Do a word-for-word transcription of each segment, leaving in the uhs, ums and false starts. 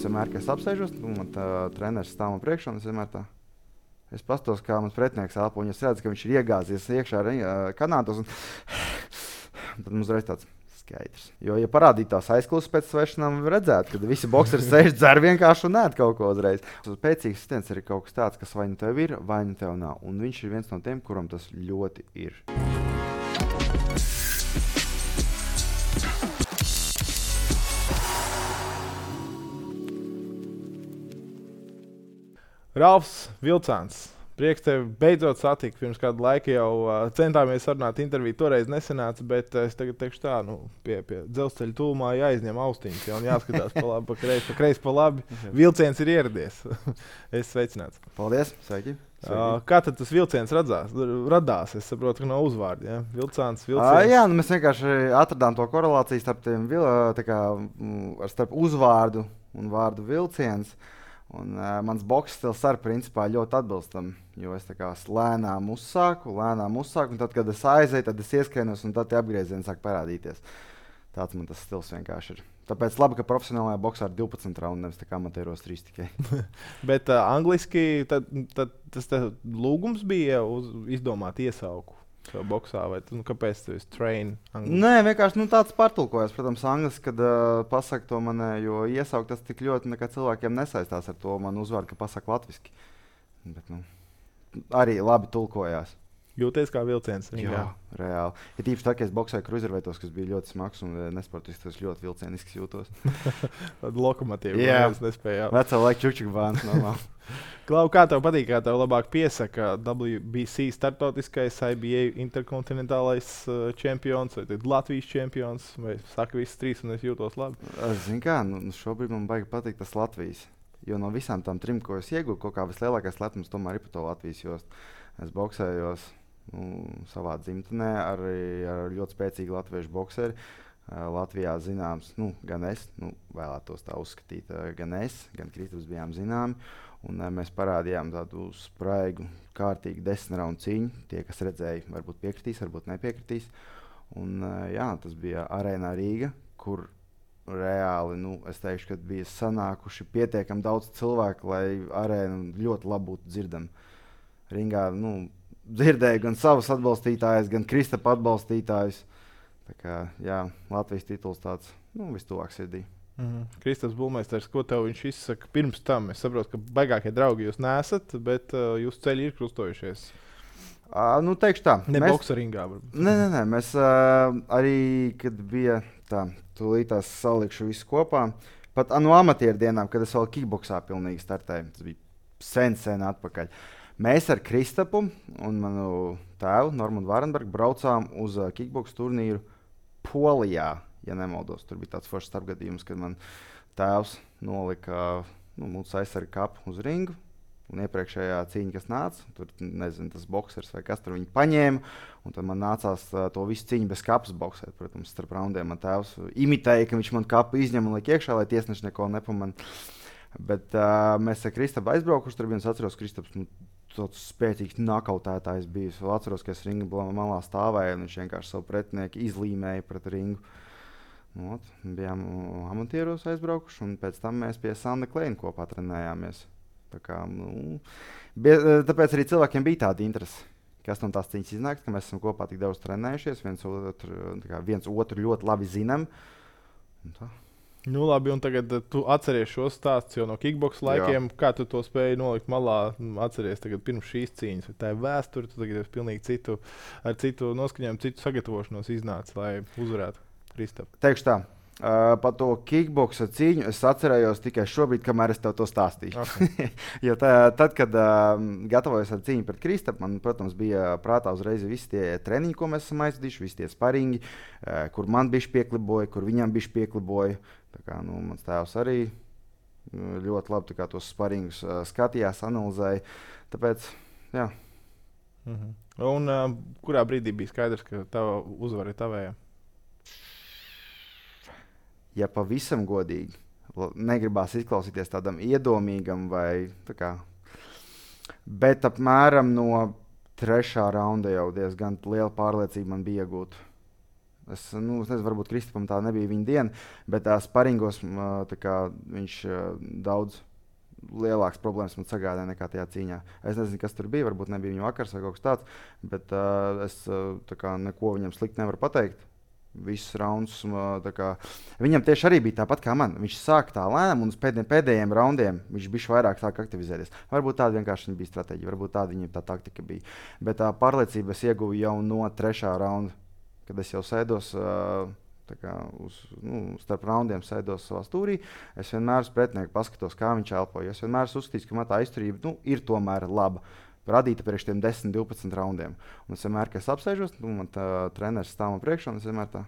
vienmēr, kad es apsēžos, man tā treneris stāv man priekšā, un es vienmēr tā. Es pastos, kā mans pretinieks elpo, un es redzu, ka viņš ir iegāzies iekšā kanātos, un tad mums reiz tāds skaidrs. Jo, ja parādītu tās aizklausas pēc svešanām, redzētu, ka visi bokseri sēž dzer vienkārši un nēd kaut ko uzreiz. Pēcīgs sitiens ir kaut kas tāds, kas vai nu tev ir, vai nu tev nav. Un viņš ir viens no tiem, kuram tas ļoti ir. Ralfs Vilcāns, prieks tevi beidzot satikt. Pirms kādu laiku jau uh, centāmies sarunāt interviju, toreiz nesanāca, bet uh, es tagad teikšu tā, nu, pie, pie dzelzceļa tūmā jāizņem austiņas, jau un jāskatās pa labi, pa kreisi, pa kreisi, pa labi. Vilciens ir ieradies. Es sveicināts. Paldies, sveiki. sveiki. Uh, kā tad tas vilciens radzās, radās? Es saprotu, ka no uzvārdi, ja? Vilcāns, Vilciens. Uh, jā, nu mēs vienkārši atradām to korelāciju starp, tiem, tā kā, starp uzvārdu un vārdu vilciens. Un, uh, mans boks stils arī principā ļoti atbilstam, jo es tā kā lēnām uzsāku, lēnām uzsāku, un tad, kad es aizēju, tad es ieskainos, un tad tie apgriezieni sāk parādīties. Tāds man tas stils vienkārši ir. Tāpēc labi, ka profesionālajā boksā ir divpadsmit raundi, nevis tā kā amatieros trīs tikai. Bet uh, angliski tad, tad, tas lūgums bija uz, izdomāt iesauku boksā, vai nu, kāpēc tu esi train angliski? Nē, vienkārši nu, tāds pārtulkojas. Protams, angliski, kad uh, pasaka to man, jo iesaukt tas tik ļoti nekā cilvēkiem nesaistās ar to man uzvārdu, ka pasaka latviski. Bet, nu, arī labi tulkojās. Jūties kā vilciens. Jā, jā, reāli. Ja tīpaši tā, ka es boksēju kruzerveitos, kas bija ļoti smags un nesportisks, tas ļoti vilcienisks jūtos. Lokomotīvi, jā, mēs nespējām. Vecā laika čukčuk bāns, normāli. Klau, kā tev patīk, kā tev labāk piesaka W B C startautiskais, I B A interkontinentālais uh, čempions, vai tad Latvijas čempions, vai saka visas trīs un es jūtos labi? Zini kā, nu, šobrīd man baigi patīk tas Latvijas. Jo no visām tām trim, ko es iegūtu, kaut kā vislielākais lepnums tomēr ir par to Latvijas jostu. Es boksējos nu, savā dzimtenē arī ar ļoti spēcīgu latviešu bokseri. Latvijā zināms, nu, gan es, nu, vēlētos tā uzskatīt, gan es, gan Kristaps bijām zināmi. Un mēs parādījām tādu spraigu, kārtīgu desmit raundu cīņu. Tie, kas redzēja, varbūt piekritīs, varbūt nepiekritīs. Un jā, tas bija Arēnā Rīga, kur reāli, nu, es teikšu, ka bija sanākuši pietiekami daudz cilvēku, lai arēna ļoti labi būtu dzirdama. Ringā, nu, dzirdēju gan savus atbalstītājus, gan Kristapa atbalstītājus. Tā kā, jā, Latvijas tituls tāds, nu, vistuvāk sirdī. Mm-hmm. Kristaps Bulmeisters, ko tev viņš izsaka pirms tam? Es saprotu, ka baigākie draugi jūs nesat, bet uh, jūsu ceļi ir krustojušies. Uh, nu, teikšu tā. Ne mēs... boksa ringā, varbūt. Nē, nē, nē. Mēs uh, arī, kad bija tā, tūlītās salikšu visu kopā, pat no amatieru dienām, kad es vēl kickboksā pilnīgi startēju, tas bija sen, sen atpakaļ. Mēs ar Kristapu un manu tēvu, Normandu Vārenbergu, braucām uz uh, kickboks turnīru Polijā, ja nemaldos. Tur bija tāds foršs starpgadījums, kad man tēvs nolika nu, mūsu aizsargu kapu uz ringu. Un iepriekšējā cīņa, kas nāca, tur nezinu, tas boksers vai kas tur viņu paņēma. Un tad man nācās uh, to visu cīņu bez kapas boksēt. Protams, starp raundiem man tēvs imitēja, ka viņš man kapu izņem un liek iekšā, lai tiesneši neko nepamana. Bet uh, mēs ar Kristapu aizbraukuši, tur bija es atceros, Kristaps nu, tāds spēcīgs nakautētājs bija. Es atceros, ka es ringa malā stāvēju un viņš vienkārši savu pretinieku izlīmēja pret ringu. Nu, ot, bijām amatieros aizbraukuši un pēc tam mēs pie Sanda Kleina kopā trenējāmies. Tā kā, nu, bija, tāpēc arī cilvēkiem bija tāda interese, kas no tās cīņas iznāks, ka mēs esam kopā tik daudz trenējušies, viens otru, kā, viens otru ļoti labi zinām. Nu, labi, un tagad tu atceries šos stāstus jau no kickboks laikiem. Jā. Kā tu to spēji nolikt malā? Atceries tagad pirms šīs cīņas. Tā ir vēsture, tu tagad esi pilnīgi citu, ar citu noskaņojumu, citu sagatavošanos iznācis, lai uzvarētu Kristapu. Teikšu tā, uh, par to kickboksa cīņu es atcerējos tikai šobrīd, kamēr es tev to stāstīju. Okay. Jo tā, tad, kad uh, gatavojos ar cīņu pret Kristapu, man, protams, bija prātā uzreiz visi tie treniņi, ko mēs esam aizvadījuši, visi tie sparingi, uh, kur man bišķi piekliboja, kur viņam bišķi piekliboja. Tā kā, nu, mans tēvs arī ļoti labi kā, tos sparingus uh, skatījās, analizēja. Tāpēc, jā. Mhm. Un uh, kurā brīdī bija skaidrs, ka tava uzvara ir tavējā? Ja pavisam godīgi, negribās izklausīties tādam iedomīgam vai tā kā, bet apmēram no trešā raunda jau diezgan liela pārliecība man bija iegūt. Es, nu, es nezinu, varbūt Kristapam tā nebija viņa diena, bet tā sparingos uh, tā kā, viņš uh, daudz lielākas problēmas man sagādāja nekā tajā cīņā. Es nezinu, kas tur bija, varbūt nebija viņa vakars vai kaut kas tāds, bet uh, es uh, tā kā neko viņam slikti nevaru pateikt. Visus raundus. Kā, viņam tieši arī bija tāpat kā man. Viņš sāka tā lēnām, un uz pēdējiem, pēdējiem raundiem viņš bija vairāk sāk aktivizēties. Varbūt tāda vienkārši bija stratēģija, varbūt tāda viņam tā taktika bija. Bet tā pārliecība es ieguvu jau no trešā raunda, kad es jau sēdos kā, uz, nu, starp raundiem, sēdos savā stūrī. Es vienmēr uz pretinieku paskatos, kā viņš elpoja. Es vienmēr uzskatīju, ka man tā izturība nu, ir tomēr laba. Radīta priekš tiem desmit, divpadsmit raundiem. Un es vienmēr, kad es apsēžos, nu, man tā treneris stāv man priekšā, un es vienmēr tā.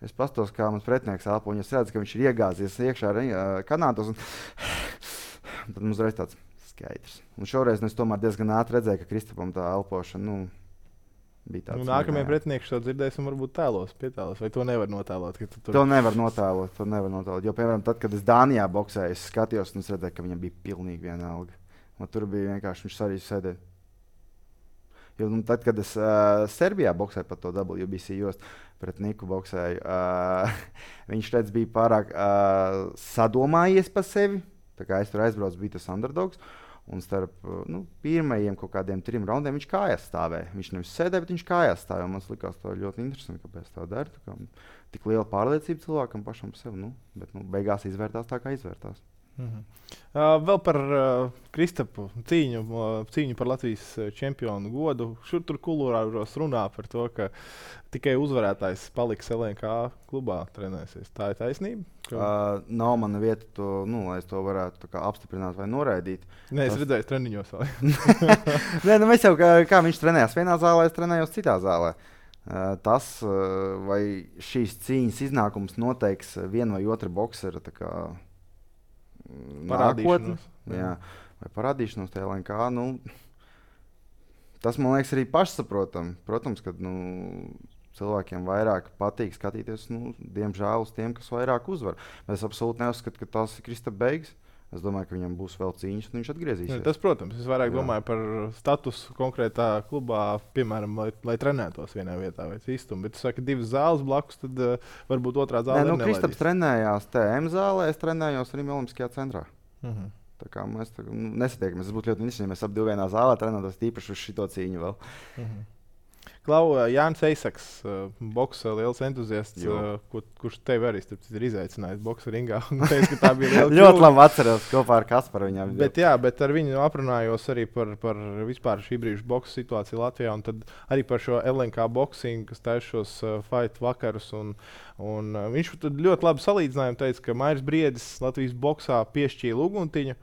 Es pastos, kā mans pretinieks elpo, un es redzu, ka viņš ir iegāzies iekšā uh, kanātos, un tad mums reiz tāds skaidrs. Un šoreiz nu, es tomēr diezgan ātri redzēju, ka Kristapam tā elpošana, nu, bija tāds. Nu, nākamajā pretinieki šo dzirdēsim, varbūt tēlos, pietēlos, vai to nevar notēlot? Tu tur... To nevar notēlot, to nevar notēlot, jo, piemēram, tad, kad es Dānijā boksēju, es skatījos, un es redzēju, ka viņam bija pilnīgi vienalga. Man tur bija vienkārši viņš arī sēdēja. Jo, nu, tad, kad es uh, Serbijā boksēju par to W B C jostu pret Niku boksēju, uh, viņš redz, bija pārāk uh, sadomājies par sevi. Tā kā es tur aizbraucu, bija tas underdogs. Un starp uh, nu, pirmajiem kaut kādiem trim raundiem viņš kājās stāvēja. Viņš nevis sēdēja, bet viņš kājās stāvēja. Man likās tā ļoti interesanti, kāpēc tā dara. Tā kā, tik liela pārliecība cilvēkam pašam par sevi. Nu, bet nu, beigās izvērtās tā, kā izvērtās. Mm-hmm. Uh, vēl par uh, Kristapu cīņu, uh, cīņu par Latvijas čempionu godu. Šur tur kulūrāros runā par to, ka tikai uzvarētājs paliks L N K klubā trenēsies. Tā ir taisnība? Ka... Uh, nav mana vieta, to, nu, lai es to varētu kā, apstiprināt vai noraidīt. Nē, es Tas... redzēju treniņos. Nē, nu, mēs jau kā, kā viņš trenējās vienā zālē, es trenējos citā zālē. Uh, tas, uh, vai šīs cīņas iznākums noteiks vienu vai otru bokseru parādīšanos. Jā, vai parādīšanos tajā L N K. Nu, tas man liekas arī pašsaprotami. Protams, ka nu, cilvēkiem vairāk patīk skatīties, nu, diemžēl, uz tiem, kas vairāk uzvar. Bet es absolūti neuzskatu, ka tas ir Kristapa beigas. Es domāju, ka viņam būs vēl cīņas, un viņš atgriezīsies. Tas, protams, es vairāk Jā. domāju par statusu konkrētā klubā, piemēram, lai, lai trenētos vienā vietā vai citur. Bet, ja divas zāles blakus, tad uh, varbūt otrā zāle ir. Nu, Kristaps trenējās T M zālē, es trenējos arī Olimpiskajā centrā. Uh-huh. Tā kā mēs tā, nu, nesatiekamies. Tas būtu ļoti interesanti, ja mēs ap divu vienā zālē trenētos tīpaši uz šito cīņu vēl. Uh-huh. Klau, Jānis Eisaks, boksa liels entuziasts, kur, kurš tevi arī ir izaicinājis boksa ringā. Teicu, tā bija ļoti labi atceros kopā ar Kasparu. Bet, jā, bet ar viņu aprunājos arī par, par vispār šī brīža boksa situāciju Latvijā, un tad arī par šo L N K boxingu, kas taisa šos uh, fight vakarus. Un, un, uh, viņš ļoti labi salīdzinājumu teica, ka Mairis Briedis Latvijas boksā piešķīla uguntiņu.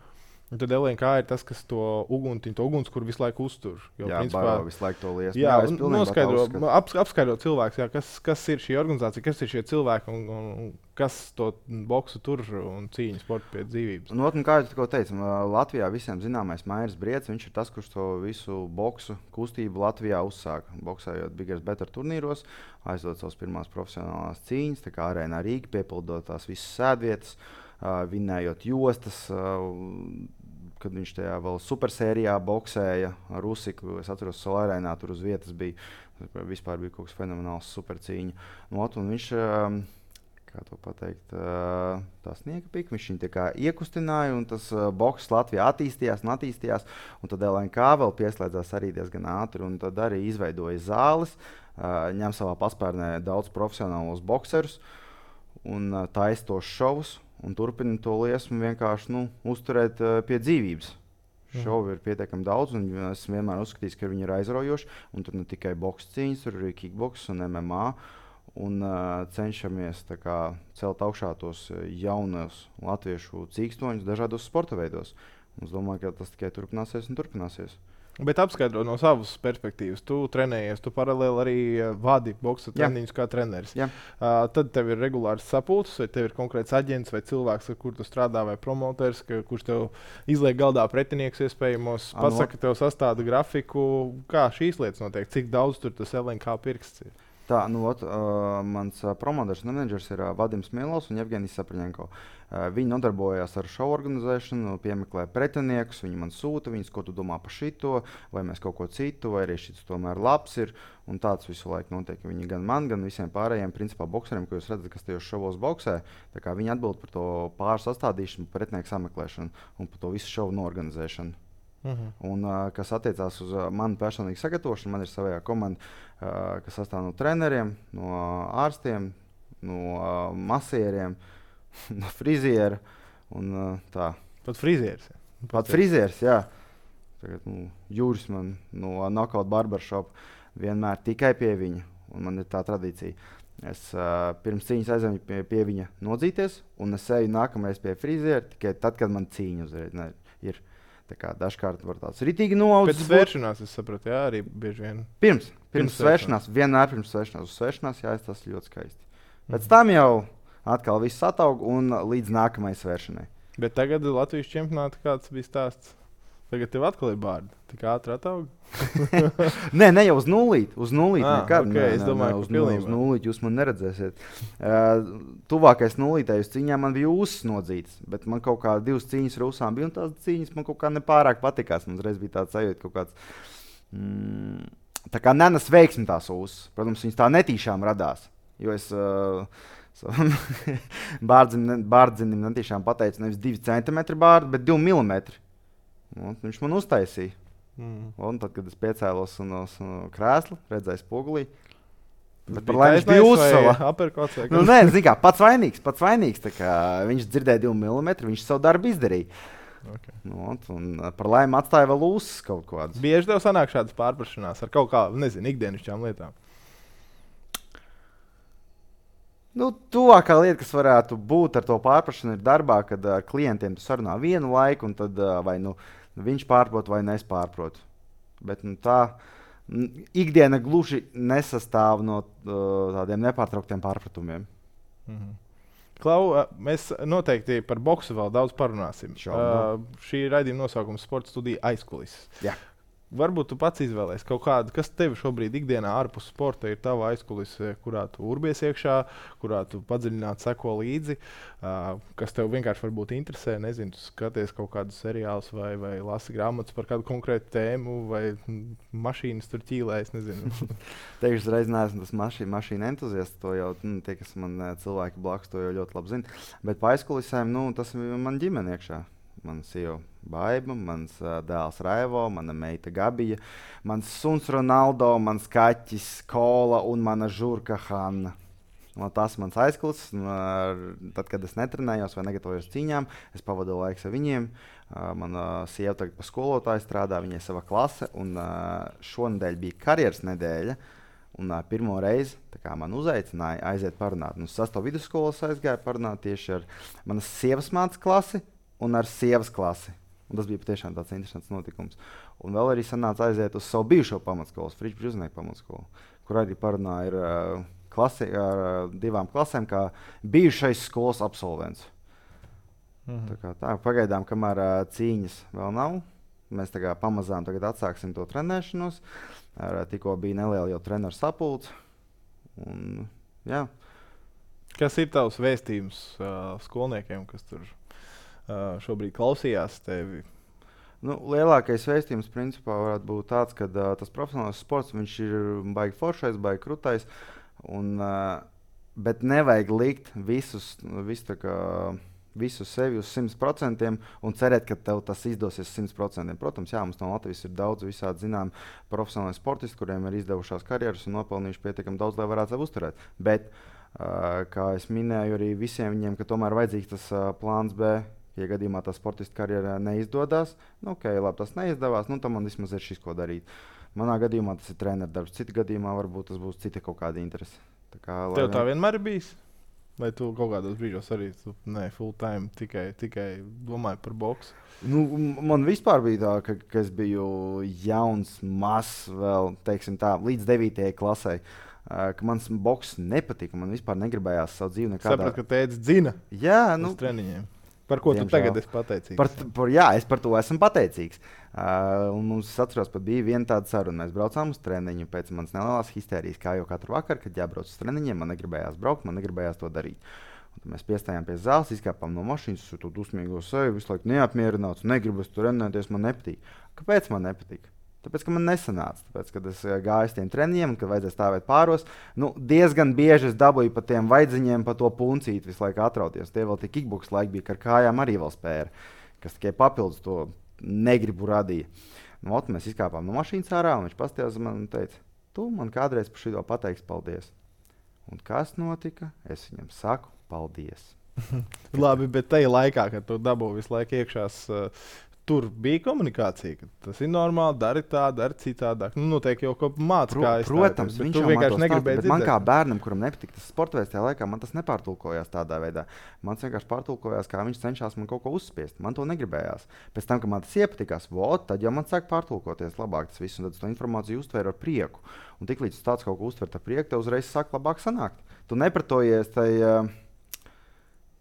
Un tad L N K ir tas, kas to uguntiņu, to uguns, kur visu laiku uztur. Jo, jā, principā, baro, visu laiku to liesmu. Jā, jā noskaidro, ap, apskaidro cilvēks, jā, kas, kas ir šī organizācija, kas ir šie cilvēki un, un, un kas to boksu tur un cīņu sportu pie dzīvības. Nu, un kā jau teicu, Latvijā visiem zināmais Mairis Briedis, viņš ir tas, kurš to visu boksu kustību Latvijā uzsāka. Boksējot Bigger Better turnīros, aizdot savas pirmās profesionālās cīņas, tā kā Arēnā Rīga, piepildot tās visas sēdvietas, uh, vinējot jostas, uh, kad viņš tajā vēl supersērijā boksēja ar Rusiku. Es atceros, ka Arēnā tur uz vietas bija, vispār bija kaut kas fenomenāls supercīņa. Nu, un viņš, kā to pateikt, tā sniega pika, viņš viņu tā kā iekustināja, un tas boks Latvijā attīstījās un attīstījās, un tad L N K vēl pieslēdzās arī diezgan ātri, un tad arī izveidoja zāles, ņem savā paspērnē daudz profesionālos bokserus, un taisa tos šovus, un turpina to liesmu vienkārši nu, uzturēt uh, pie dzīvības. Mm. Šovu ir pietiekami daudz, un es vienmēr uzskatīju, ka viņi ir aizraujoši. Un tur ne tikai boks cīņas, tur arī kickboks un M M A. Un uh, cenšamies kā, celt augšā tos jaunos latviešu cīkstoņus dažādos sporta veidos. Un es domāju, ka tas tikai turpināsies un turpināsies. Bet apskaidro no savas perspektīvas. Tu trenējies, tu paralēli arī vadi boksa treniņus kā treneris. Uh, tad tev ir regulārs sapulces, vai tev ir konkrēts aģents vai cilvēks, ar kur tu strādā, vai promoters, ka, kurš tev izliek galdā pretinieks iespējamos, pasaka, tev sastāda grafiku. Kā šīs lietas notiek? Cik daudz tur tas L N K pirksts ir? Tā, nu, ot, uh, mans uh, promotors menedžers ir uh, Vadims Mielovs un Jevgenijs Sapraņenko. Uh, viņi nodarbojās ar šovu organizēšanu, piemeklē pretiniekus, viņi man sūta, viņas, ko tu domā par šito, vai mēs kaut ko citu, vai arī šis tomēr labs ir. Un tāds visu laiku notiek. Viņi gan man, gan visiem pārējiem principā bokseriem, ko jūs redzat, kas tajos šovos boksē, tā kā viņi atbild par to pāri sastādīšanu, pretinieku sameklēšanu un par to visu šovu noorganizēšanu. Uh-huh. Un, uh, kas attiecās uz uh, manu personīgu sagatavošanu, man ir savā komanda, uh, kas sastāv no treneriem, no ārstiem, no uh, masieriem, no friziera. Un, uh, tā. Pat frizieris. Pat, Pat frizieris, jā. Tagad, nu, Jūris man no uh, Knockout Barbershop vienmēr tikai pie viņa. Un man ir tā tradīcija. Es uh, pirms cīņas aizēju pie, pie viņa nodzīties, un es eju nākamreiz pie friziera tikai tad, kad man cīņa uzreiz ne, ir. Tā kā dažkārt var tāds ritīgi noaudzis. Pēc svēršanās, es sapratu, jā, arī bieži vien. Pirms, pirms, pirms svēršanās, vienmēr pirms svēršanās. Uz svēršanās, jā, tas ļoti skaisti. Pēc mm. tam jau atkal viss ataug un līdz nākamajai svēršanai. Bet tagad Latvijas čempionāta kāds bija stāsts? Tagad tev atkal ir bārdi. Tik ātri ataug? Nē, ne jau uz nulīti. Uz nulīti ah, nekad. Okay, nē, es domāju, nē, uz, nul, uz nulīti jūs man neredzēsiet. Uh, tuvākais nulītē uz cīņām man bija ūsas nodzītas, bet man kaut kā divas cīņas ar ūsām bija, un tās cīņas man kaut kā nepārāk patikās. Man uzreiz bija tāds sajūta kaut kāds, mm, tā kā nenes veiksmi tās ūsas. Protams, viņas tā netīšām radās, jo es uh, bārdzinim, bārdzinim netīšām pateicu nevis divi centimetri bārdu, bet divi milimetri. Un viņš man uztaisīja. Mm. Un tad, kad es piecēlos no krēsla, redzēju spogulī. Bet par laimi viņš bija uzsala. Nu, nē, zin kā, pats vainīgs, pats vainīgs. Tā kā viņš dzirdēja divu milimetru, viņš savu darbu izdarīja. Okay. Nu, un par laimi atstāja vēl uzsas kaut kādas. Bieži tev sanāk šādas pārprašanās ar kaut kā, nezinu, ikdienišķām lietām? Nu, tuvākā lieta, kas varētu būt ar to pārprašanu, ir darbā, kad ar klientiem tu sarunā vienu laiku, un tad vai nu viņš pārprot, vai es pārprotu. Bet nu, tā ikdiena gluži nesastāv no uh, tādiem nepārtrauktiem pārpratumiem. Mhm. Klau, mēs noteikti par boksu vēl daudz parunāsim. Uh, šī raidījuma nosaukums Sporta studija aizkulises. Jā. Varbūt tu pats izvēlējies kaut kādu, kas tev šobrīd ikdienā ārpus sporta ir tava aizkulise, kurā tu urbies iekšā, kurā tu padziļināti seko līdzi, uh, kas tev vienkārši varbūt interesē, nezinu, tu skaties kaut kādus seriālus vai, vai lasi grāmatas par kādu konkrētu tēmu vai mašīnas tur ķīlēs, nezinu. Teikšu, uzreiz neesmu tas mašīna, mašīna entuziasts, to jau nu, tie, kas man cilvēki blakus, to jau ļoti labi zina. Bet pa aizkulisēm, nu, tas ir man ģimene iekšā. Mana sieva Baiba, mans uh, dēls Raivo, mana meita Gabija, mans suns Ronaldo, mans kaķis Kola un mana žurka Hanna. No, tas mans aizkulis. Tad, kad es netrenējos vai negatavojos cīņām, es pavadu laiku ar viņiem. Uh, mana sieva tagad pa skolotāju strādā, viņai sava klase, un uh, šonedēļ bija karjeras nedēļa. Un uh, pirmo reizi man uzaicināja aiziet parunāt. Nu, sasto vidusskolas aizgāju parunāt tieši ar manas sievas mācas klasi un ar sievas klasi. Un tas bija patiešām tāds interesants notikums. Un vēl arī sanāca aiziet uz savu bijušo pamatskolu, Fričs Bžuznieku pamatskolu, kur arī parunāja ar, uh, klasi, ar uh, divām klasēm, kā bijušais skolas absolvents. Mhm. Tā kā tā, pagaidām, kamēr uh, cīņas vēl nav, mēs tā kā pamazām tagad atsāksim to trenēšanos. Ar, uh, tikko bija neliela jau treneru sapulce. Un, jā. Kas ir tavs vēstījums uh, skolniekiem, kas tur Uh, šobrīd klausījās tevi? Nu, lielākais vēstījums principā varētu būt tāds, ka uh, tas profesionāls sports, viņš ir baigi foršais, baigi krutais, un, uh, bet nevajag likt visus, visu, kā, visu sevi uz simt procentiem un cerēt, ka tev tas izdosies simt procentiem. Protams, jā, mums no Latvijas ir daudz visādi zinām profesionāli sportisti, kuriem ir izdevušās karjeras un nopelnījuši pietiekami daudz, lai varētu sev uzturēt. Bet, uh, kā es minēju, arī visiem viņiem, ka tomēr vajadzīgs tas uh, plāns B. Ja gadījumā tā sportista karjerā neizdodas, nu, ok, labi, tas neizdevās, nu, tad man vismaz ir šis, ko darīt. Manā gadījumā tas ir treneru darbs, cita gadījumā varbūt tas būs cita kaut kāda interese. Tā kā, tev tā vienmēr ir bijis? Vai tu kaut kādos brīžos arī tu, ne, full time tikai, tikai domāji par boksu? Nu, man vispār bija tā, ka, ka es biju jauns, mazs vēl, teiksim tā, līdz devītajai klasei. Uh, ka mans boks nepatika, man vispār negribējās savu dzīvi nekādā. Sapratu, ka tētis dzina jā, nu, uz treniņiem. Par ko Diemžēl. tu tagad esi pateicīgs? Par, par, jā, es par to esmu pateicīgs. Uh, un mums, es atceros, pat bija viena tāda saruna. Mēs braucām uz treniņu pēc manas nelielās histērijas, kā jau katru vakaru, kad jābrauc uz treniņiem. Man negribējās braukt, man negribējās to darīt. Un mēs piestājām pie zāles, izkāpām no mašīnas, uz to dusmīgo seju, visu laiku neapmierināts, negribu es tur trenēties, man nepatīk. Kāpēc man nepatīk? Tāpēc, ka man nesanāca. Tāpēc, kad es gāju uz tiem treniņiem, un kad vajadzēja stāvēt pāros, nu, diezgan bieži es dabūju pa tiem vaidziņiem, pa to puncīti visu laiku atrauties. Tie vēl tie kickboks laiki bija, ka ar kājām arī vēl spēra, kas tikai papildus to negribu radīja. Nu, ot, mēs izkāpām no mašīnas ārā, un viņš pastījās man un teica, tu man kādreiz par šito pateiksi paldies. Un kas notika? Es viņam saku paldies. Labi, bet tajā laikā, kad tu dabūji visu laiku iekšās, uh, tur bija komunikācija, ka tas ir normāli, dari tā, dari citādāk. Nu, noteikti jau kaut kā mācās, Pro, kā es protams, tā, viņš tu jau vienkārši negribēji dzirdēt. Man kā bērnam, kuram nepatīk tas sporta veids, tajā laikā man tas nepārtulkojās tādā veidā. Man vienkārši pārtulkojās, kā viņš cenšas man kaut ko uzspiest. Man to negribējās. Pēc tam, kad man tas iepatikās, vot, tad jau man sāk pārtulkoties labāk tas viss, un tad es to informāciju uztvēru ar prieku. Un tiklīdz tāds kaut ko uztver ar prieku, tev uzreiz sāk labāk sanākt. Tu nepratojies tai,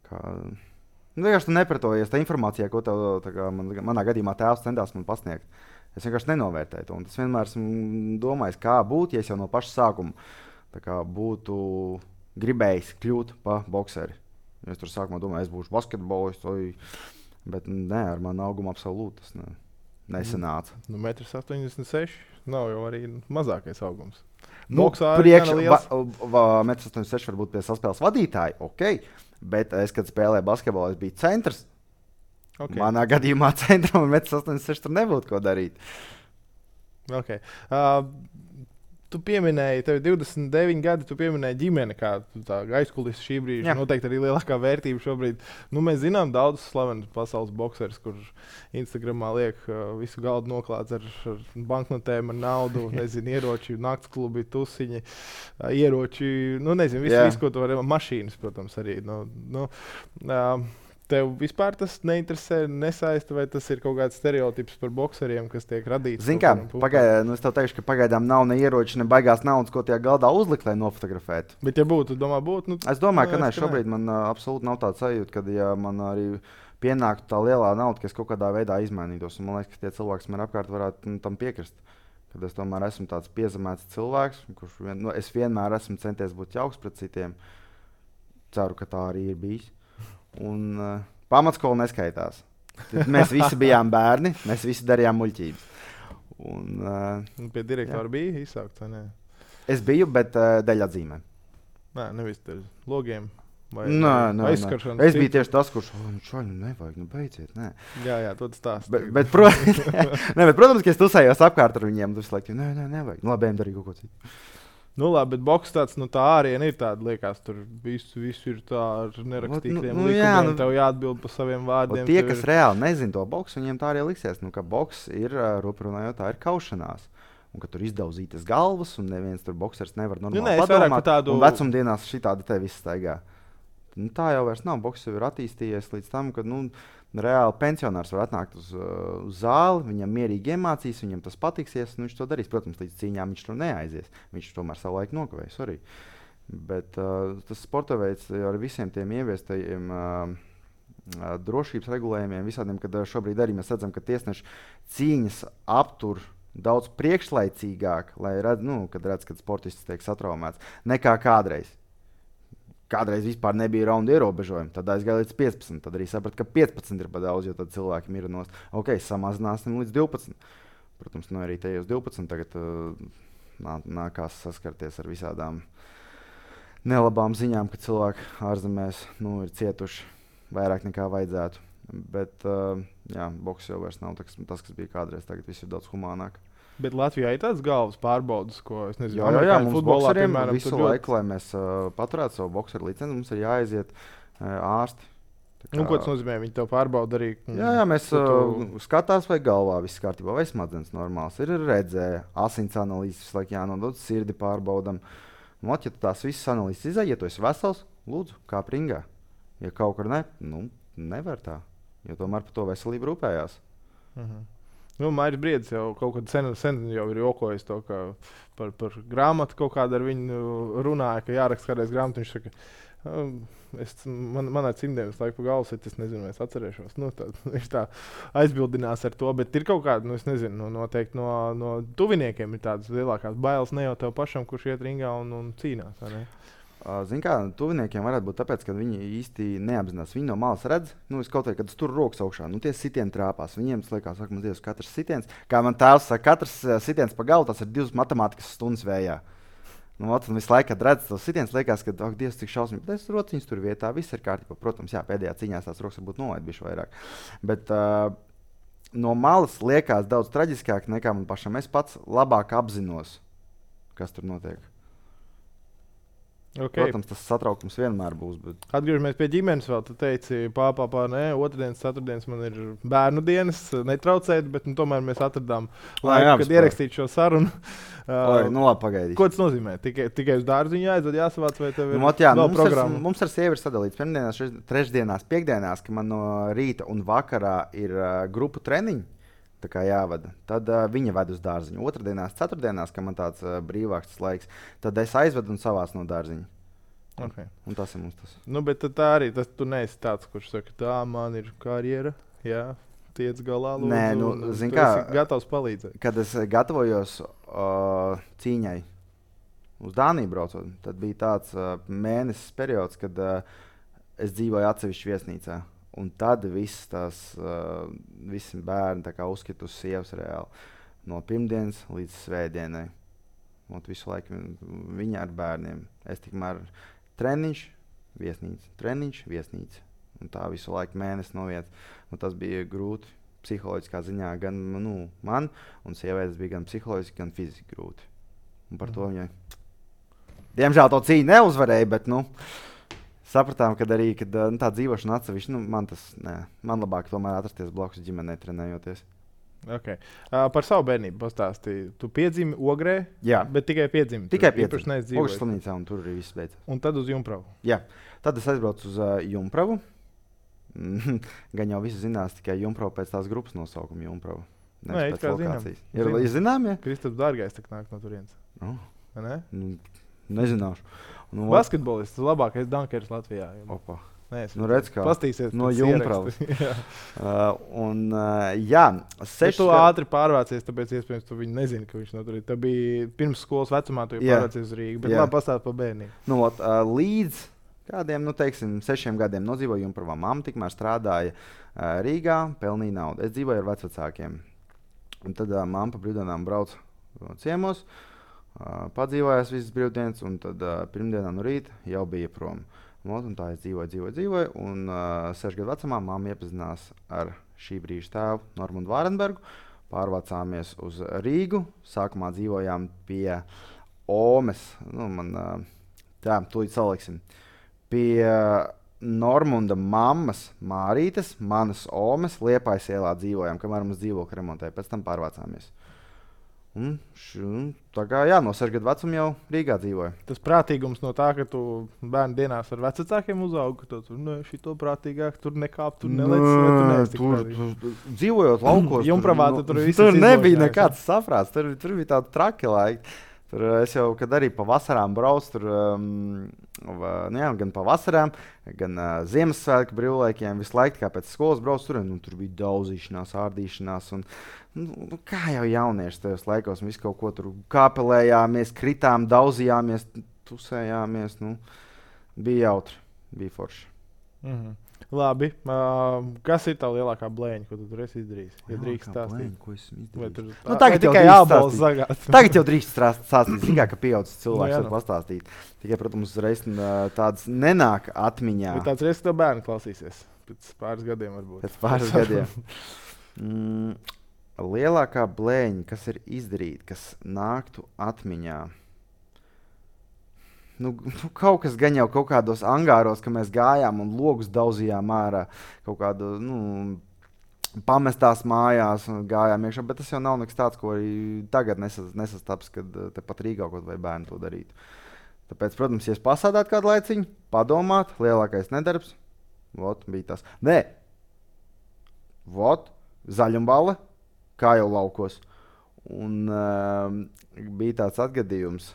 kā... Nu, vienkārši tu nepratojies tā informācijā, ko tev, kā, man, manā gadījumā tēvs centās man pasniegt. Es vienkārši nenovērtēju to. Un tas vienmēr esmu domājis, kā būtu, ja es jau no paša sākuma kā, būtu gribējis kļūt par bokseri. Es tur sākumā domāju, es būšu basketbolists, bet nē, ar manu augumu absolūti tas ne, nesanāca. Nu, metrs astoņdesmit seši nav jau arī mazākais augums. Nu, priekš, metrs astoņdesmit seši varbūt pie saspēles vadītāji, ok. Bet es, kad spēlēju basketbolu, es biju centrs. Okay. Manā gadījumā centram un metrs astoņdesmit seši tur nebūtu ko darīt. Okay. Uh, tu pieminēji, tev ir divdesmit deviņi gadi, tu pieminēji ģimeni, kā tā aizkulis šī brīža. Jā. Noteikti arī lielākā vērtība šobrīd. Nu, mēs zinām daudzus slavenus pasaules bokserus, kurš Instagramā liek uh, visu galdu noklāts ar, ar banknotēm, ar naudu, nezinu, ieroči, naktsklubi, tusiņi, uh, ieroči, nu, nezinu, visu, visu, ko tu vari, mašīnas, protams, arī. Nu, nu, uh, Tev vispār tas neinteresē, nesaista, vai tas ir kaut kāds stereotips par bokseriem, kas tiek radīts? Zini kā, pagaid, nu es tev teikšu, ka pagaidām nav ne ieroči, ne baigās naudas, ko tajā galdā uzlikt, lai nofotografētu. Bet ja būtu, domā, būtu? Nu, es domāju, ka nē, šobrīd man uh, absolūti nav tāds sajūta, kad ja man arī pienāktu tā lielā nauda, ka es kaut kādā veidā izmainītos. Un man liekas, ka tie cilvēki, kas man apkārt varētu nu, tam piekrist. Kad es tomēr esmu tāds piezemēts cilvēks, kurš vien, nu, es vienmēr esmu centies būt jauks pret citiem. Ceru, ka tā arī ir bijis. Un uh, pamatskola neskaitās. Mēs visi bijām bērni, mēs visi darījām muļķības. Un, uh, pie direktora bija izsākts, vai ne? Es biju, bet uh, dēļ atzīmēm. Nē, nevis dēļ logiem. Vai, nē, nē, aizskaršanas. Es biju tieši tas, kurš, oh, nu šaļu nevajag, nu beidziet, nē. Jā, jā, to tas stāst. Bet, bet, pro... ne, bet, protams, ka es tusējos apkārt ar viņiem, tu laiku, nē, nē, nevajag. Nu, labi, darīju kaut ko citu. Nu, labi, bet boks tāds, nu tā āriena ir tāda, liekas, tur visu, visu ir tā ar nerakstītiem nu, nu, likumiem, jā, nu, tev jāatbild par saviem vārdiem. Tie, kas ir... reāli nezin to boksu, viņiem tā arī liksies, nu, ka boks ir, ruprunājot, tā ir kaušanās. Un ka tur izdauzītas galvas, un neviens tur boksers nevar normāli nu, ne, padomāt, tādu... un vecumdienās šitādi te viss staigā. Nu, tā jau vairs nav, boks jau ir attīstījies līdz tam, ka, nu, reāli pensionārs var atnākt uz, uz zāli, viņam mierīgi iemācīs, viņam tas patiksies, un viņš to darīs. Protams, līdz cīņām viņš tur neaizies. Viņš tomēr savu laiku nokavējis arī. Bet uh, tas sporta veids ar visiem tiem ieviestajiem uh, uh, drošības regulējumiem, visādiem, kad uh, šobrīd arī mēs redzam, ka tiesneši cīņas aptur daudz priekšlaicīgāk, lai redz, nu, kad redz, kad sportists tiek satraumēts, nekā kādreiz. Kādreiz vispār nebija raunda ierobežojuma, tad aizgāja līdz piecpadsmit. Tad arī sapratu, ka piecpadsmit ir par daudz, jo tad cilvēki mira nost. Ok, samazināsim līdz divpadsmit. Protams, nu arī tajos divpadsmit tagad uh, nā, nākās saskarties ar visādām nelabām ziņām, ka cilvēki ārzemēs nu, ir cietuši vairāk nekā vajadzētu. Bet uh, jā, boks jau vairs nav tas, tas, kas bija kādreiz. Tagad viss ir daudz humānāk. Bet Latvijā ir tāds galvas pārbaudas, ko es nezinu, jā, jā, jā, mums bokseriem visu laiku, lai mēs uh, paturētu savu bokseru licenci, mums ir jāaiziet uh, ārsti. Kā... Nu, ko tas nozīmē? Viņi tev pārbauda arī? Jā, jā, mēs uh, tu... skatās, vai galvā viss kārtībā, vai smadzenes normāls. Ir redzē, asins analīzes visu laiku jānodod, sirdi pārbaudam. Un, ja tu tās visas analīzes izai, ja tu esi vesels, lūdzu, kā pringā. Ja kaut kur ne, nu, nevar tā, jo tomēr par to veselību rūpējās. Uh-huh. Nu, Mairis Briedis jau kaut kad sen, sen jau ir jokojis to, ka par, par grāmatu kaut kādu ar viņu runāja, ka jāraksta kādreiz grāmatu. Viņš saka, Um, Es, man, man ar cimdiem visu laiku pa galvu sit, es nezinu, vai es atcerēšos. Nu, tā, viņš tā aizbildinās ar to, bet ir kaut kāda, nu, es nezinu, nu, noteikti no, no tuviniekiem ir tādas lielākās bailes, ne jau tev pašam, kurš iet ringā un, un cīnās. Zini, kā tuviniekiem varētu būt tāpēc, ka viņi īsti neapzinās. Viņi no malas redz, nu, es kaut kā, kad es tur rokas augšā, nu, tie sitieni trāpās. Viņiem tas liekas, saka, man Dievs, katrs sitiens, kā man tēvs saka, katrs sitiens pa galu, tas ir divas matemātikas stundas vējā. Nu, ot, un visu laiku, kad redzu tos sitienus, liekas, ka, ak, Dievs, cik šausmīgi, bet es rociņas tur vietā, viss ir kārtībā. Protams, jā, pēdējā cīņās tās rokas varbūt nolaid bišķi vairāk. Bet uh, no malas liekas daudz traģiskāk nekā man pašam. Es pats labāk apzinos, kas tur notiek. Okay. Protams, tas satraukums vienmēr būs. Bet... Atgriežamies pie ģimenes vēl. Tu teici, pāpā, pā, nē, otrdienas, ceturtdienas man ir bērnu dienas, netraucēt, bet nu, tomēr mēs atradām laiku, kad ierakstīt šo sarunu. Oi, nu labi, pagaidīšu. Ko tas nozīmē? Tikai, tikai uz dārziņu jāaizved, jāsavāc, vai tev ir nu, ot, jā, vēl mums programma? Ar, mums ar sievi ir sadalīts pirmdienās, trešdienās, piekdienās, ka man no rīta un vakarā ir uh, grupu treniņi. Tā kā jāvada. Tad uh, viņa ved uz dārziņu. Otrdienās, ceturtdienās, kad man tāds uh, brīvāks laiks, tad es aizvedu un savāc no dārziņa. Okay. Un tas ir mums tas. Nu, bet tā arī, tas tu neesi tāds, kurš saka, tā man ir karjera, jā, tiec galā, lūdzu. Nē, nu, un, un zin tu kā, esi gatavs palīdzēt. Kad es gatavojos uh, cīņai uz Dāniju braucot, tad bija tāds uh, mēnesis periods, kad uh, es dzīvoju atsevišķi viesnīcā. Un tad viss tās, uh, visi bērni tā kā uzskita uz sievas reāli. No pirmdienas līdz svētdienai. Un visu laiku viņa ar bērniem. Es tikmēr treniņš, viesnīca, treniņš, viesnīca. Un tā visu laiku mēnesi noiet. Un tas bija grūti psiholoģiskā ziņā gan nu, man, un sievietes bija gan psiholoģiski, gan fiziski grūti. Un par mm. to viņai, diemžēl, to cīņu neuzvarēja, bet, nu, sapratām, ka arī kad, nu, tā dzīvošana atsevišķi, nu, man tas, nē, man labāk tomēr atrasties blakus ģimenei trenējoties. Okay. Uh, par savu bērnību pastāstīju. Tu piedzimi Ogrē, jā. Bet tikai piedzimi. Tikai piedzimi. Ogres slimnīcā, un tur arī viss beidzās. Un tad uz Jumpravu. Jā, tad es aizbraucu uz uh, Jumpravu. Gan jau visi zinās, tikai Jumprava pēc tās grupas nosaukuma Jumprava. Nē, it kā zinām. Ir, ir zinām, ja? Kristaps Dārgais tak nāk no turienes. Oh. Ne? Nu, nezināšu. Nu, basketbolists, labākais dankers Latvijā. Opa. Nē, nu, redz, kā no Jumpravas. uh, un, uh, jā, seši... Tu ātri pārvācies, tāpēc iespējams tu viņu nezini, ka viņš no tur ir. Tā bija pirms skolas vecumā, tu jau pārvācies uz Rīgu, bet jā. Labi pastāst par bērnību. Nu, ot, uh, līdz kādiem, nu, teiksim, sešiem gadiem nodzīvoju Jumpravā. Mamma tikmēr strādāja uh, Rīgā, pelnīja naudu. Es dzīvoju ar vecvecākiem. Un tad uh, mamma pa brīvdienām brauc ciemos, uh, padzīvojās visas brīvdienas, un tad uh, pirmdienā no rīta jau bija prom. Un tā es dzīvoju, dzīvoju, dzīvoju, un uh, sešu gadu vecumā mamma iepazinās ar šī brīža tēvu Normundu Vārenbergu. Pārvācāmies uz Rīgu, sākumā dzīvojām pie Omes, nu man, uh, tā, tūlīt saliksim, pie Normunda mammas Mārītes, manas Omes, Liepājas ielā dzīvojām, kamēr mums dzīvokļi remontēja, pēc tam pārvācāmies. Un, š, tā kā jā, no sešu gadu vecuma jau Rīgā dzīvoja. Tas prātīgums no tā, ka tu bērnu dienās ar vecākiem uzaugi, ka tu tur ne, šito prātīgāk, tur nekāp, tur nelec, vai tu neesi tik prātīgs. Tur, dzīvojot laukos, Jumpravā, tur, tur, nu, tur nebija nekāds saprāts, tur, tur bija tādi traki laiki. Tur es jau, kad arī pa vasarām braucu, tur, um, nu jā, gan pa vasarām, gan uh, Ziemassvētku brīvlaikiem, visu laiku, kā pēc skolas braucu, tur, nu, tur bija daudzīšanās, ārdīšanās, un, nu, kā jau jaunieši tajos laikos, mēs kaut ko tur kāpelējāmies, kritām, daudzījāmies, tusējāmies, nu, bija jautri, bija forši. Mhm. Labi, uh, kas ir tā lielākā blēņa, ko tu tur esi izdarījis? Ja drīkst stāstīt. Blēņa, ko esmu izdarījis? Tur, nu, tagad tikai jābalsts zagāt. Tagad jau drīkst stāstīt, zīgā, ka pieaudzis cilvēks no, var pastāstīt. Tikai, protams, uzreiz tāds nenāk atmiņā. Bet tāds reiz, ka tev bērni klausīsies. Pēc pāris gadiem varbūt. Pēc pāris gadiem. Mm, lielākā blēņa, kas ir izdarīta, kas nāktu atmiņā. Nu, nu, kaut kas gan jau kaut kādos angāros, ka mēs gājām un logus daudzījām ārā, kaut kādu, nu, pamestās mājās un gājām iekšā, bet tas jau nav nekas tāds, ko arī tagad nesas, nesastaps, kad tepat Rīgā kaut vai bērni to darītu. Tāpēc, protams, ja es pasādātu kādu laiciņu, padomāt, lielākais nedarbs, vot, bija tas. Nē, vot, zaļumbale, kā jau laukos. Un uh, bija tāds atgadījums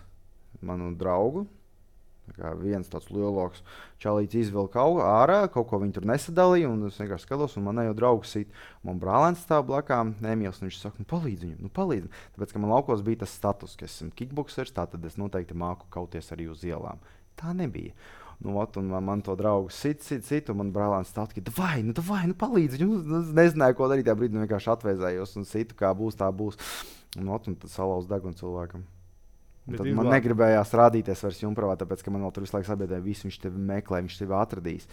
manu draugu, Kā viens tāds lieloks čalīts izvilka ārā, kaut ko viņi tur nesadalīja, un es vienkārši skatos, un man jau draugs sit. Man brālēns stāv blakām, Emīls, un viņš saka, nu palīdz viņam, nu palīdz. Tāpēc, ka man laukos bija tas status, ka esmu kickboksers, tātad es noteikti māku kauties arī uz ielām. Tā nebija. Nu, ot, un man, man to draugu sit, sit, sit, un man brālēns stāv tikai, davai, nu davai, nu palīdz viņam. Nu, es nezināju, ko darīt, tajā brīdī vienkārši atvēzējos un situ, kā būs, tā būs. Un, ot, un tad salauz degunu cilvēkam. Tad man negribējās rādīties vairs Jumpravā, tāpēc, ka man vēl tur visu laiku sabiedrēja, visu viņš tevi meklē, viņš tevi atradīs.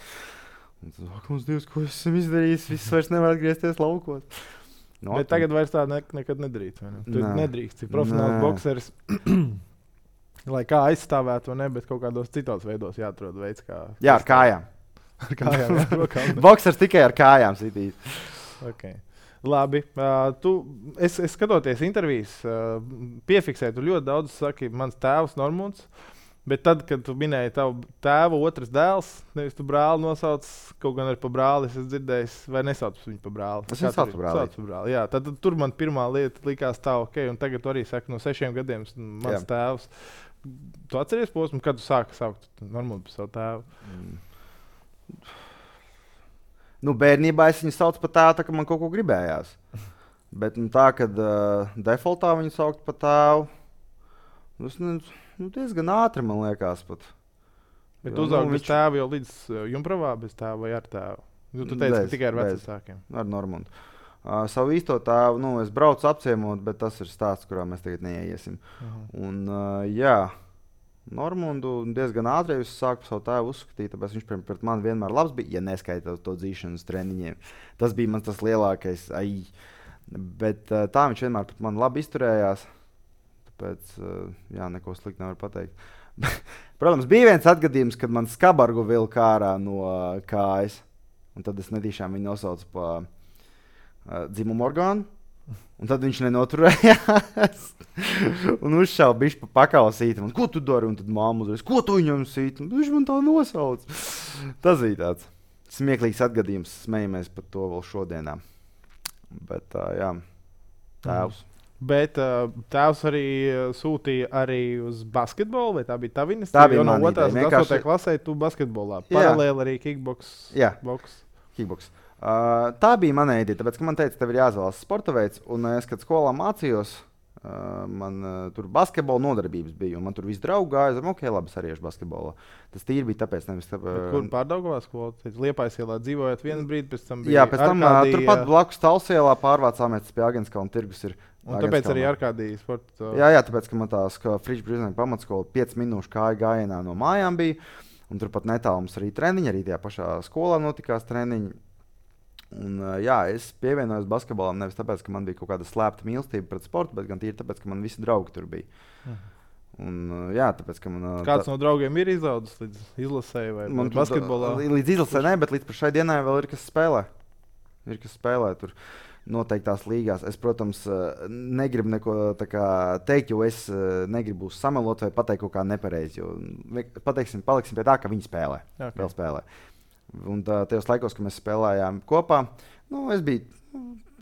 Un tad, ak, mums Dievs, ko es esmu izdarījis, viss vairs nevar atgriezties laukos. No, bet tagad vairs tā ne, nekad nedrīkst, vai ne? Tu Nē. nedrīkst, ir profesionāls bokseris, lai kā aizstāvētu, vai ne, bet kaut kādos citos veidos jāatrod veids, kā... Jā, ar kājām. Ar kājām, jā, rokām. Boksers tikai ar kājām sitīs. Okay. Labi, uh, tu, es, es skatoties intervijas, uh, piefiksēju, tu ļoti daudz saki, mans tēvs Normunds, bet tad, kad tu minēji tavu tēvu otrs dēls, nevis tu brāli nosauc, kaut gan arī pa brāli, es dzirdējis, vai nesauc viņu pa brāli? Es nesauc pa brāli. Pa brāli. Jā, tad, tad tur man pirmā lieta likās tā, ok, un tagad tu arī saki, no sešiem gadiem mans Jā. tēvs. Tu atceries posmu, kad tu sāki saukt Normundu par savu tēvu? Mm. Nu, bērnībā es viņu saucu par tēvu, tā ka man kaut ko gribējās. Bet nu, tā, kad uh, defaultā viņu saukt par tēvu, tas nu, nu, diezgan ātri, man liekas, pat. Bet tu uzaugi bez viņš... tēva jau līdz uh, Jumpravā bez tēva vai ar tēvu? Nu, tu teici, bez, ka tikai ar vecākiem. Ar Normundu. Uh, savu īsto tēvu, nu, es braucu apciemot, bet tas ir stāsts, kurā mēs tagad neieiesim. Uh-huh. Un, uh, jā. Normundu diezgan ātri es sāku savu tēvu uzskatīt, tāpēc viņš pret mani vienmēr labs bija, ja neskaita to dzīšanas treniņiem. Tas bija mans tas lielākais, ai. Bet tā viņš vienmēr pret mani labi izturējās, tāpēc, jā, neko slikti nevar pateikt. Protams, bija viens atgadījums, kad man skabargu vilka ārā no kājas, un tad es netīšām viņu nosaucu pa uh, dzimumu orgānu. Un tad viņš nenoturējās un uzšāva bišķi pa pakausīti. Man, ko tu dari? Un tad māma uzreiz, ko tu viņam sīti? Un viņš man tā nosauc. Tas bija tāds smieklīgs atgadījums. Smejamies par to vēl šodienā. Bet tā, jā, tēvs. Mm. Bet uh, tēvs arī sūtīja arī uz basketbolu, vai tā bija tava iniciatīva? Tā bija no mana otrās ideja. Vienkārši... klasē tu basketbolā. Paralēli arī kickboks. Jā, boks. kickboks. Uh, tā bija mana ideja, tāpēc, ka man teica, tev ir jāizvēlas sporta veids, un es, kad skolā mācījos, uh, man uh, tur basketbola nodarbības bija, un man tur visi draugi gāja, es ok, labi, es arī iešu basketbolā. Tas tīri bija tāpēc, nevis tāpēc. Uh, kur Pārdaugavā skolā? Liepājas ielā dzīvojot vienu brīdi, pēc tam bija Jā, pēc tam Arkādija... turpat blakus Talsielā pārvācāmies pie Agenskalna tirgus ir. Un tāpēc arī Arkādija sporta... Jā, jā, tāpēc, ka man tās Fričs Brizneņa pamatskola pieci minūšu kāja gājienā no mājām bija, un turpat netālu mums arī treniņi, arī tajā pašā skolā notikās treniņi. Un, jā, es pievienojos basketbolam nevis tāpēc, ka man bija kaut kāda slēpta mīlestība pret sportu, bet gan tīri tāpēc, ka man visi draugi tur bija. Mhm. Un, jā, tāpēc, ka man, Kāds tā... no draugiem ir izaudzis līdz izlasēji vai man basketbolā? Līdz izlasē ne, bet līdz šai dienai vēl ir kas spēlē. Ir kas spēlē tur noteiktās līgās. Es, protams, negribu neko tā kā teikt, jo es negribu samelot vai pateikt kaut kā nepareizi. Jo pateiksim, paliksim pie tā, ka viņi spēlē. Okay. Vēl spēlē. Un tā, tajos laikos, kad mēs spēlējām kopā, nu, es biju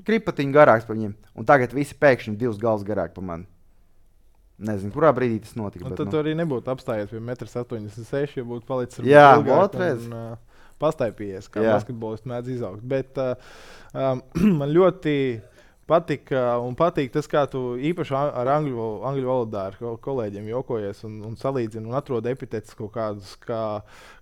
kripatiņu garāks par viņiem. Un tagad visi pēkšņi divus galus garāk par mani. Nezinu, kurā brīdī tas notika. Un bet, tad nu... tu arī nebūtu apstājies pie metrs astoņdesmit seši, ja būtu palicis ar Jā, ilgāk un uh, pastaipījies, kā Jā. basketbolisti mēdz izaugt. Bet uh, um, man ļoti patika un patīk tas, kā tu īpaši ar angļu, angļu valodā ar kolēģiem jokojies un, un salīdzini un atrod epitetus kaut kādus, kā,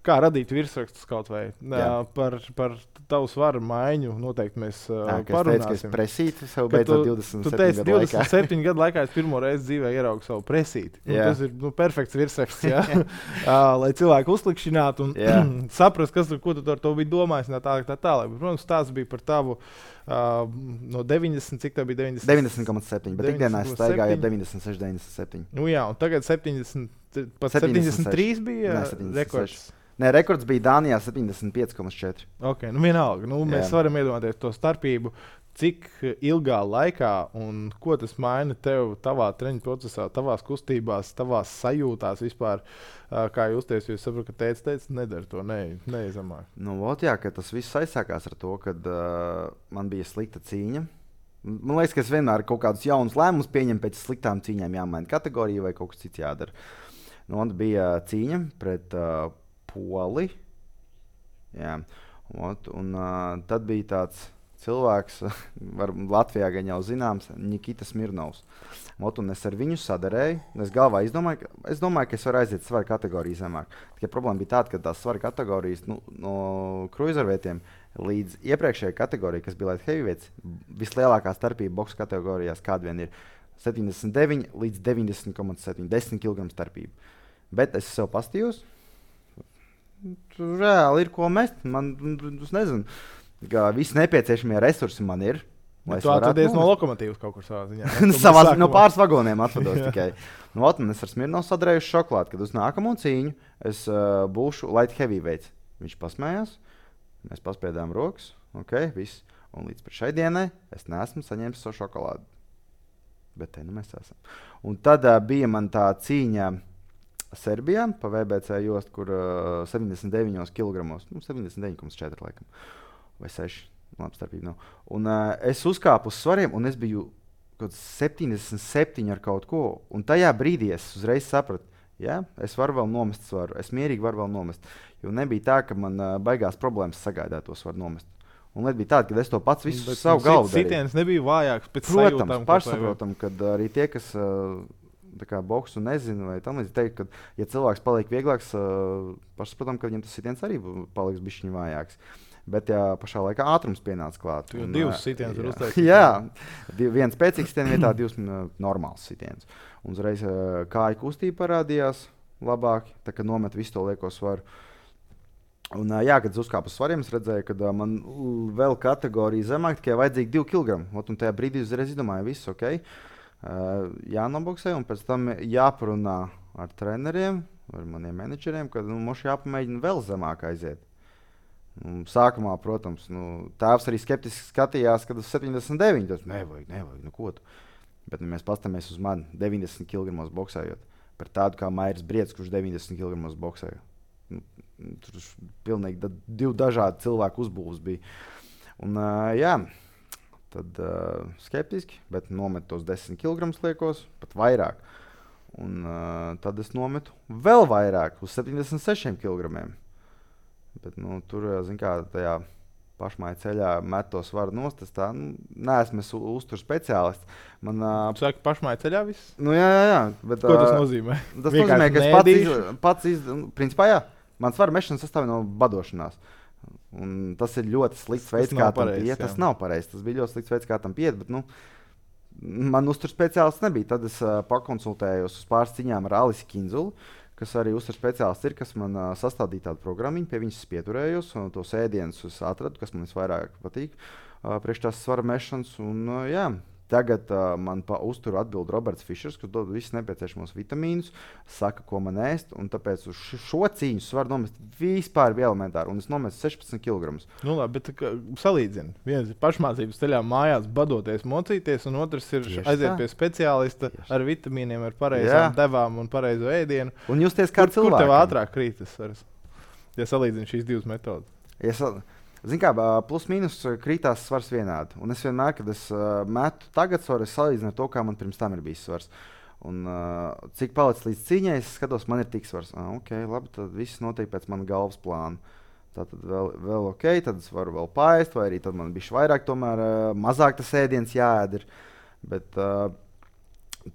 kā radīt virsrakstus kaut vai. Uh, par, par tavu svaru maiņu noteikti mēs uh, Jā, parunāsim. Es teicu, ka es presītu sev beidzot divdesmit septiņu gadu laikā. Tu teici divdesmit septiņu gadu laikā es pirmo reizi dzīvē ieraugu savu presīti. Nu, tas ir nu, perfekts virsraksts, ja? uh, lai cilvēku uzklikšķinātu un saprast, kas, ko tu ar to biji domājis. Tā, tā, tā, tā. Protams, tās bija par tavu uh, no deviņdesmit, cik tā bija deviņdesmit? deviņdesmit komats septiņi, bet ikdienā es staigāju ap deviņdesmit seši, deviņdesmit septiņi. Nu jā, un tagad septiņdesmit, pat septiņdesmit trīs bija ne, rekords. Nē, rekords bija Dānijā septiņdesmit pieci komats četri. Ok, nu vienalga. Nu, mēs Jā. varam iedomāties to starpību, cik ilgā laikā un ko tas maina tev tavā treniņu procesā, tavās kustībās, tavās sajūtās vispār, kā justies, jo es saprotu, ka teica, teica, nedara to, ne, neizamāk. Nu, ot, jā, ka tas viss aizsākās ar to, kad uh, man bija slikta cīņa. Man liekas, ka es vienmēr kaut kādus jaunus lēmumus pieņemu pēc sliktām cīņām, jāmaina kategorija vai kaut kas cits jādara. Nu, un bija cīņa pret uh, Poli. Jā. Un, un uh, tad bija tāds cilvēks, var, Latvijā gan jau zināms, Nikita Smirnovs. Ot, un es ar viņu sadarēju. Es galvā izdomāju, ka, es domāju, ka es varu aiziet svaru kategoriju zemāk. Tikai problēma bija tāda, ka tās svaru kategorijas nu, no cruiservietiem līdz iepriekšējai kategorijai, kas bija light heavyweights, vislielākā starpība boksa kategorijās, kāda vien ir septiņdesmit deviņi līdz deviņdesmit komats septiņi, desmit kilogramu starpība. Bet es sev pastījos. Tur reāli ir ko mest. Man, es nezinu, ka visi nepieciešamie resursi man ir. Tu atvedies no lokomotīvas kaut kur savā ziņā. Savā, no pāris vagoniem atvados tikai. Nu, ot, es ar Smirnovu sadarējuši šokolādi, kad uz nākamo cīņu es uh, būšu light heavyweights. Viņš pasmējās, mēs paspēdām rokas, ok, viss. Un līdz šai dienai es neesmu saņēmis savu šokolādi. Bet te nu mēs esam. Un tad uh, bija man tā cīņa Serbijā pa V B C jostu, kur uh, septiņdesmit deviņos kilogramos, nu septiņdesmit deviņi komats četri laikam, vai seši. Labi, starpība nav. Un uh, es uzkāpu uz svariem, un es biju kaut septiņdesmit septiņi ar kaut ko. Un tajā brīdī es uzreiz sapratu, ja, es varu vēl nomest svaru. Es mierīgi varu vēl nomest. Jo nebija tā, ka man uh, baigās problēmas sagaidāt to svaru nomest. Un lieta bija tāda, ka es to pats visu Bet savu galvu darīju. Sitiens nebija vājāks pēc Protams, sajūtām. pašsaprotam, kad arī tie, kas uh, tā kā boksu nezina, vai tam līdzīgi teikt, ka, ja cilvēks paliek vieglāks, uh, pašsaprotam, ka viņam tas sitiens arī paliks bišķiņ vājāks. Bet jā, pašā laikā ātrums pienāca klāt. Tu jau divus sitienus var uztaisīt. Jā, div, viens spēcīgs sitiens vietā, divs uh, normāls sitiens. Un uzreiz uh, kāja kustība parādījās labāk, tā kā nomet visu to lieko svaru. Un, uh, jā, kad es uzkāpu uz svariem, es redzēju, ka uh, man vēl kategorija zemāk, tikai vajadzīgi divi kilogrami. Ot, un tajā brīdī uzreiz izdomāju, viss ok. Uh, jānoboksē, un pēc tam jāparunā ar treneriem, ar maniem menedžeriem, ka nu, mums jāpamēģina vēl zemāk aiziet. Un sākumā, protams, nu, tēvs arī skeptiski skatījās, kad uz septiņdesmit deviņi. Tas nevajag, nevajag, nu ko tu. Bet nu, mēs pastamies uz mani deviņdesmit kilogramos boksējot. Par tādu kā Mairis Briedis, kurš deviņdesmit kilogramos boksēja. Nu, tur pilnīgi da, divi dažādi cilvēku uzbūves bija. Un, uh, jā, tad uh, skeptiski, bet nometu tos desmit kilogramus liekos, pat vairāk. Un uh, tad es nometu vēl vairāk, uz septiņdesmit sešiem kilogramiem. Bet, nu, tur, zin kā, tajā pašmāja ceļā met to svaru nost, es tā, nu, neesmu es uztur speciālists. Man, uh, Tu saki, pašmāja ceļā viss? Nu, jā, jā, jā. Bet, Ko tas uh, nozīmē? Tas nozīmē, ka es pats, iz, pats iz, principā, jā, man svaru mešana sastāv no badošanās. Un tas ir ļoti slikts veids, kā tam piet. Tas nav pareizi, tas bija ļoti slikts veids, kā tam piet, bet, nu, man uztur speciālists nebija. Tad es uh, pakonsultējos uz pāris ciņām ar Alisi Kinzulu, kas arī uztur speciālists ir, kas man uh, sastādīja tādu programmiņu, pie viņas es pieturējos, un tos ēdienus es atradu, kas man visvairāk patīk, uh, priekš tās svara mešanas, un uh, jā, tagad uh, man pa uzturu atbild Roberts Fišers, kas dod visus nepieciešamos vitamīnus, saka, ko man ēst, un tāpēc uz šo cīņu svaru nomest vispār bija elementāri, un es nomestu sešpadsmit kilogramus. Nu labi, bet kā, salīdzini. Viens ir pašmācības ceļā mājās badoties, mocīties, un otrs ir Tieši aiziet tā. Pie speciālista Tieši. Ar vitamīniem, ar pareizām Jā. devām un pareizo ēdienu. Un justies kā cilvēkam. Kur tev ātrāk krītas, ja salīdzini šīs divas metodas? Ja sal... Zin kā, plus mīnus krītās svars vienādi. Un es vienmēr, kad es uh, metu tagad svaru, es salīdzinu ar to, kā man pirms tam ir bijis svars. Un uh, cik palicis līdz cīņai, es skatos, man ir tik svars. Ah, ok, labi, tad viss notiek pēc mana galvas plāna. Tātad vēl, vēl ok, tad es varu vēl paēst, vai arī tad man bišķi vairāk tomēr uh, mazāk tas ēdiens jāēd ir. Bet uh,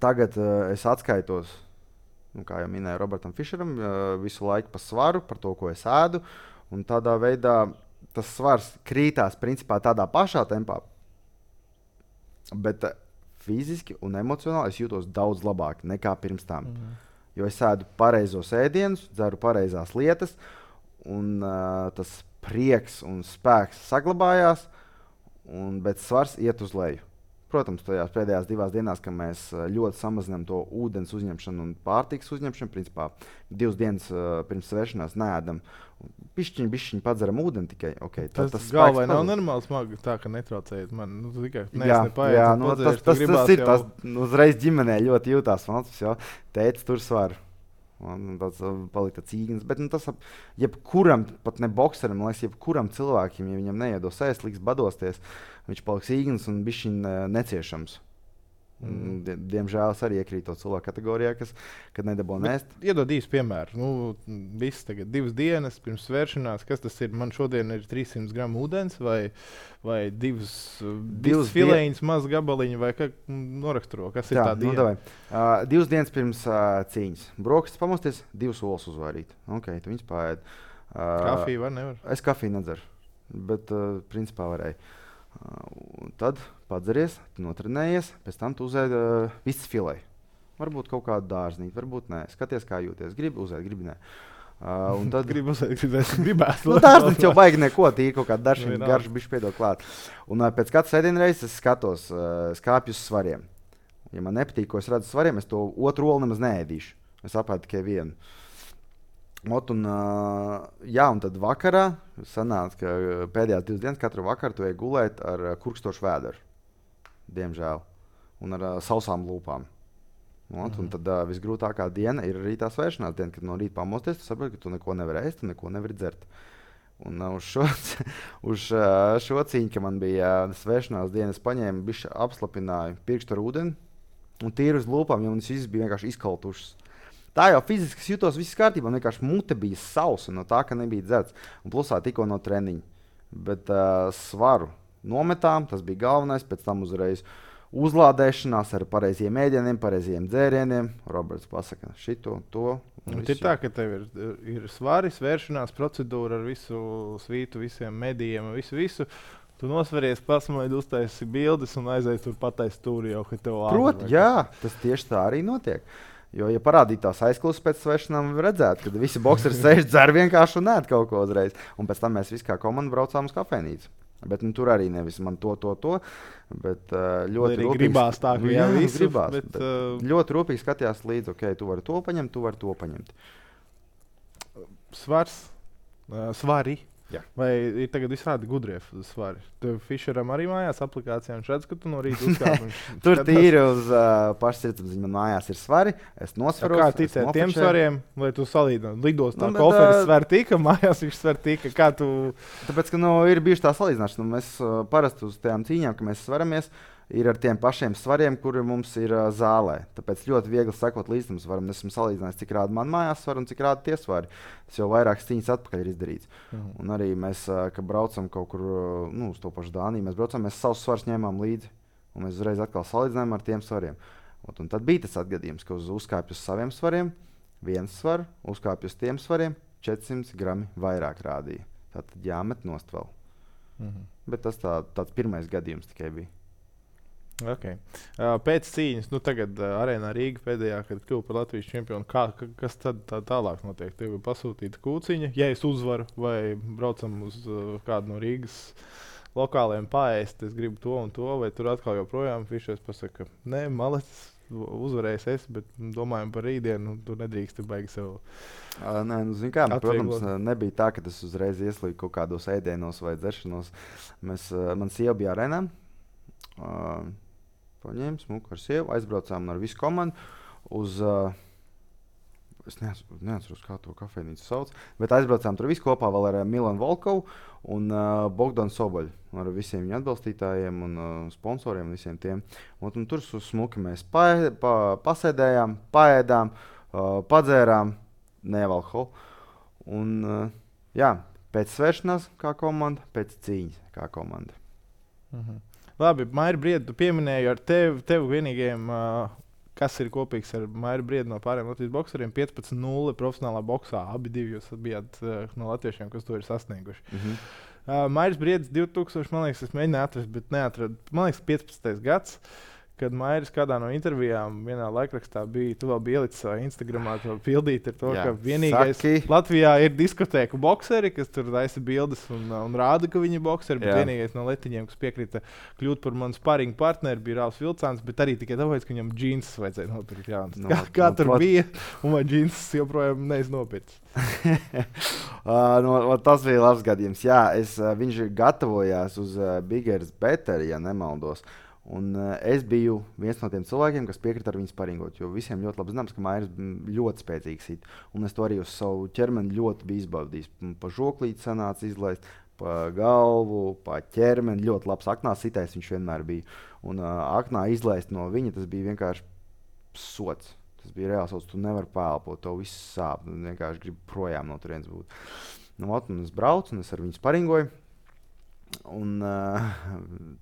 tagad uh, es atskaitos, nu, kā jau minēju Robertam Fišeram, uh, visu laiku pa svaru, par to, ko es ēdu. Un tādā veidā tas svars krītās principā tādā pašā tempā, bet uh, fiziski un emocionāli es jūtos daudz labāk nekā pirms tam. Mm. Jo es ēdu pareizos ēdienus, dzeru pareizās lietas, un uh, tas prieks un spēks saglabājās, un, bet svars iet uz leju. Protams, tajās pēdējās divās dienās, kad mēs ļoti samazinām to ūdens uzņemšanu un pārtikas uzņemšanu, principā divas dienas uh, pirms svēršanās neēdam. Pišķiņi, bišķiņi padzeram ūdeni tikai. Okay, tas tas galvai nav normāli smagi tā, ka netraucējiet man. Nu, tikai neesmu nepaiet. Jā, nu, tas, tas, tas ir, jau... tas uzreiz ģimenē ļoti jūtās. Tētis tur svaru. Un tāds palika tāds īgnis. Bet nu, tas jebkuram, pat ne bokseram, man liekas, jebkuram cilvēkiem, ja viņam neiedos ēst, liks badosties, viņš paliks īgnis un bišķiņ neciešams. Mm. Diemžēl es arī iekrītu to cilvēku kategorijā, kas nedabū nēst. Iedod īstu piemēru. Nu, viss tagad divas dienas pirms svēršanās. Kas tas ir? Man šodien ir trīssimti gramu ūdens vai, vai divas, divas filēņas, maz gabaliņi vai kā noraksturo. Kas ir tā, tā diena? Nu, uh, divas dienas pirms uh, cīņas. Brokastis pamosties, divas olas uzvairīt. Ok, tu viņas paēd. Uh, kafiju var nevar? Es kafiju nedzeru, bet uh, principā varēju. Uh, tad padzeries, notrenējies, pēc tam tu uzēdi uh, visas filē. Varbūt kaut kādu dārznīti, varbūt nē. Skaties, kā jūties. Gribi uzēt, gribi nē. Uh, un tad gribi uzēt, gribēs, gribētu. Nu, dārznīti jau vajag neko, tīri kaut kādu daršanu, garšu bišķi piedod klāt. Un uh, pēc katras ēdienreizes es skatos, uh, skāpju uz svariem. Ja man nepatīk, ko es redzu svariem, es to otru olu nemaz neēdīšu. Es apēdu tikai vienu. Ot, un, uh, jā, un tad vakarā sanāca, ka pēdējās divas dienas katru vakaru tu ej gulēt ar uh, kurkstošu vēderu. Diemžēl. Un ar uh, sausām lūpām. Ot, mm-hmm. Un tad uh, visgrūtākā diena ir arī tā svēršanās diena, kad no rīta pamosties, tu saproti, ka tu neko nevari ēst, tu neko nevari dzert. Un uh, uz, šo, uz uh, šo cīņu, ka man bija uh, svēršanās diena, es paņēmu, bišķi apslapināju pirkstu ar ūdeni un tīru uz lūpām, jo manas visas bija vienkārši izkaltušas. Tā jau fiziski jutos, viss kārtībā. Vienkārši mute bija sausa no tā, ka nebija dzerts. Un plusā tikko no treniņa. Bet uh, svaru nometām, tas bija galvenais. Pēc tam uzreiz uzlādēšanās ar pareiziem ēdieniem, pareiziem dzērieniem. Roberts pasaka šito, to. Ir tā, ka tev ir, ir svari, svēršanās procedūra ar visu svītu, visiem medijiem, visu, visu. Tu nosveries, pasmaidi, uztaisi bildes un aizies tur pataisi stūri jau, ka tev ātri. Proti, jā, tas tieši tā arī notiek. Jo, ja parādītās aizklausas pēc svēršanām, redzētu, ka visi bokseri sēž, dzer vienkārši un ēd kaut ko uzreiz. Un pēc tam mēs visi kā komanda braucām uz kafejnīcu. Bet nu, tur arī nevis man to, to, to. Bet uh, ļoti rūpīgi. Gribās tā, ka jā, jā visu, gribās. Bet, bet, uh... ļoti rūpīgi skatījās līdzi, ok, tu vari to paņemt, tu vari to paņemt. Svars, uh, svari. Jā. Vai ir tagad visādi gudrie svari? Tev Fischeram arī mājās aplikācijā, un redz, ka tu no rīta uzkāp. Tur tīri uz uh, pašsirdsapziņas man mājās ir svari. Es nosveros. Kā ticēt tiem svariem, lai tu salīdzinātu? Lidostā nu, koferis sver tika, mājās viņš sver tika. Kā tu... Tāpēc, ka nu, ir bijuši tā salīdzināšana. Nu, mēs uh, parasti uz tajām cīņām, ka mēs svaramies, ir ar tiem pašiem svariem, kuri mums ir uh, zālē. Tāpēc ļoti viegli sekot līdz tam svaram. Esmu salīdzinājis, cik rāda man mājās svar un cik rāda tie svari. Tas jau vairākas cīņas atpakaļ ir izdarīts. Mhm. Un arī mēs, uh, kad braucam kaut kur uh, nu, uz to pašu Dāniju, mēs braucam, mēs savus svarus ņēmām līdzi. Un mēs uzreiz atkal salīdzinājām ar tiem svariem. Ot, un tad bija tas atgadījums, ka uz uzkāpju uz saviem svariem, viens svar, uzkāpju uz tiem svariem, četri simti grami vairāk rādīja. Tātad jāmet nost vēl. Mhm. Bet tas tā, tāds pirmais gadījums tikai bija. Okay. Uh, pēc cīņas, nu tagad uh, Arēnā Rīga pēdējā, kad kļuva par Latvijas čempionu, kā, ka, kas tad tā, tālāk notiek? Tev ir pasūtīta kūciņa, ja es uzvaru vai braucam uz uh, kādu no Rīgas lokāliem paēst, es gribu to un to, vai tur atkal joprojām Fišers pasaka, nē, malecis, uzvarējis es, bet domājam par rītdienu, tu nedrīksti baigi sev. Uh, nē, nu, zin kā, protams, nebija tā, ka tas uzreiz ieslīg kaut kādos ēdienos vai dzeršanos. Mēs, uh, man sieva bija Arēnā. Uh, Paņēmu smuku ar sievu, aizbraucām ar visu komandu uz, uh, es neatceros, neatceros, kā to kafejnīcu sauc, bet aizbraucām tur visu kopā vēl ar uh, Milanu Volkovu un uh, Bogdanu Soboļu, ar visiem viņa atbalstītājiem un uh, sponsoriem un visiem tiem. Un, un tur smuki mēs pa, pa, pasēdējām, paēdām, uh, padzērām, nevalholu. Un uh, jā, pēc svēršanās kā komanda, pēc cīņas kā komanda. Mhm. Labi, Maira Briedi, tu pieminēji ar tevi, tevi vienīgajiem, uh, kas ir kopīgs ar Mairu Briedi no pārējiem Latvijas bokseriem, piecpadsmit nulle profesionālā boksā. Abi divi jūs bijāt uh, no latviešiem, kas to ir sasnieguši. Mm-hmm. uh, Mairis Briedis divtūkstoši, man liekas, es mēģināju atrast, bet neatradu. Man liekas, piecpadsmitais gads. Kad Mairis kādā no intervijām vienā laikrakstā bija, tu vēl biji ielicis savā Instagramā to pildīt ar to, jā, ka vienīgais saki. Latvijā ir diskotēku bokseri, kas tur taisa bildes un, un rāda, ka viņi ir bokseri, bet jā. Vienīgais no letiņiem, kas piekrita kļūt par manu sparingu partneri, bija Rāls Vilcāns, bet arī tikai tāpēc, ka viņam džīnses vajadzēja nopirkt. Jā, no, kā kā no, tur no, bija, un vai džīnses joprojām neiz nopirkt? uh, no, tas bija labs gadījums. Jā, es, uh, viņš gatavojās uz uh, Bigger is Better, ja nemaldos. Un, uh, es biju viens no tiem cilvēkiem, kas piekrita ar viņu sparingot, jo visiem ļoti labi zināms, ka Mairis ļoti spēcīgs it. Un es to arī uz savu ķermeni ļoti biju izbaudījis. Pa žoklīti sanāca izlaist, pa galvu, pa ķermeni. Ļoti labs aknā sitējs viņš vienmēr bija. Un uh, aknā izlaist no viņa, tas bija vienkārši sots. Tas bija reāls sots, tu nevari pēlpot, to viss sāp. Tu vienkārši gribi projām no turienes būt. Nu, ot, un es braucu, un es ar viņu sparingoju. Un uh,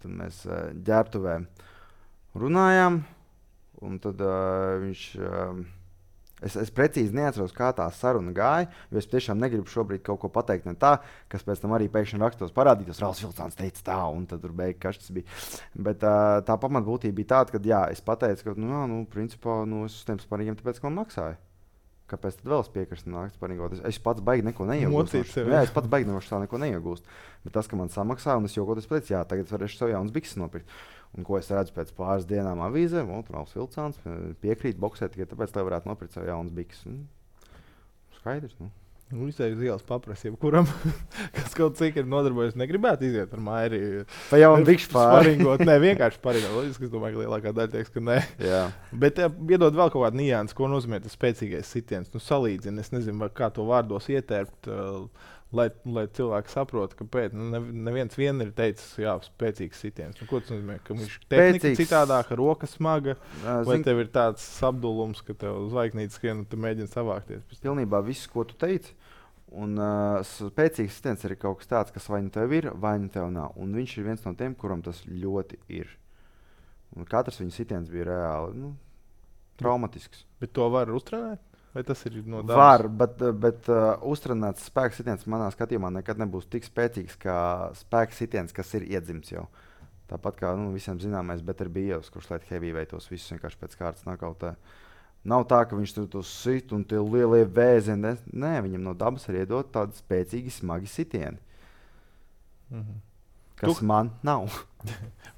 tad mēs uh, ģērbtuvē runājām. Un tad uh, viņš... Uh, Es, es precīzi neatceros, kā tā saruna gāja, jo es tiešām negribu šobrīd kaut ko pateikt ne tā, kas pēc tam arī pēkšņi rakstos parādītos. Rāls Vilcāns teica tā, un tad tur beigās kas tas bija. Bet uh, tā pamatbūtība bija tāda, ka jā, es pateicu, ka nu, jā, nu, principā, nu, es uz tiem sparingiem tāpēc, ka man maksāja. Kāpēc tad vēl es piekrist nākt sparingot? Es, es pats baigi neko neiegūstu. Jā, es pats baigi no tā neko neiegūstu. Bet tas, ka man samaksāja, un es jokoties pēc, jā, tagad es varēšu sev jaunas bikses nopirkt. Un ko es redzu pēc pāris dienām avīzē, Rāls Vilcāns piekrīt boksēt tikai tāpēc, lai varētu nopirkt sev jaunas bikses. Skaidrs, nu. Nu, izēju uz ielas paprasību, kuram, kas kaut cik ir nodarbojas, negribētu iziet ar Mairi. Pa jaunu bikšu pāri. Sparingot, ne, vienkārši sparingot. Loģiski, es domāju, ka lielākā daļa teiks, ka nē. Jā. Bet ja, iedod vēl kaut kādu niansu, ko nozīmē tas spēcīgais sitiens. Nu, salīdzini, es nezinu, kā to vārdos ietērpt, uh, lai, lai cilvēki saprotu, kāpēc. Nu, ne, neviens vien ir teicis, jā, spēcīgs sitiens. Nu, ko tas nozīmē? Ka viņš tehnika citādāka, roka smaga, uh, vai zin... tev ir tāds apdulums, ka tev zvaigznītes skrien un tu mēģini savākties? Pilnībā viss, ko tu teici. Un uh, spēcīgs sitiens ir kaut kas tāds, kas vai nu tev ir, vai nu tev nav. Un viņš ir viens no tiem, kuram tas ļoti ir. Un katrs viņa sitiens bija reāli nu, traumatisks. Bet to var uztrenēt? Vai tas ir no dabas? Var, bet, bet uh, uztrenēts spēks sitiens manā skatījumā nekad nebūs tik spēcīgs kā spēks sitiens, kas ir iedzimts jau. Tāpat kā nu, visiem zināmais Better Bijos, kurš liet heavyweightos visus vienkārši pēc kārtas nakautē. Nav tā, ka viņš tur to sit un tie lielie vēzieni. Nē, viņam no dabas ir iedot tādi spēcīgi, smagi sitieni. Mhm. Kas tu... man nav.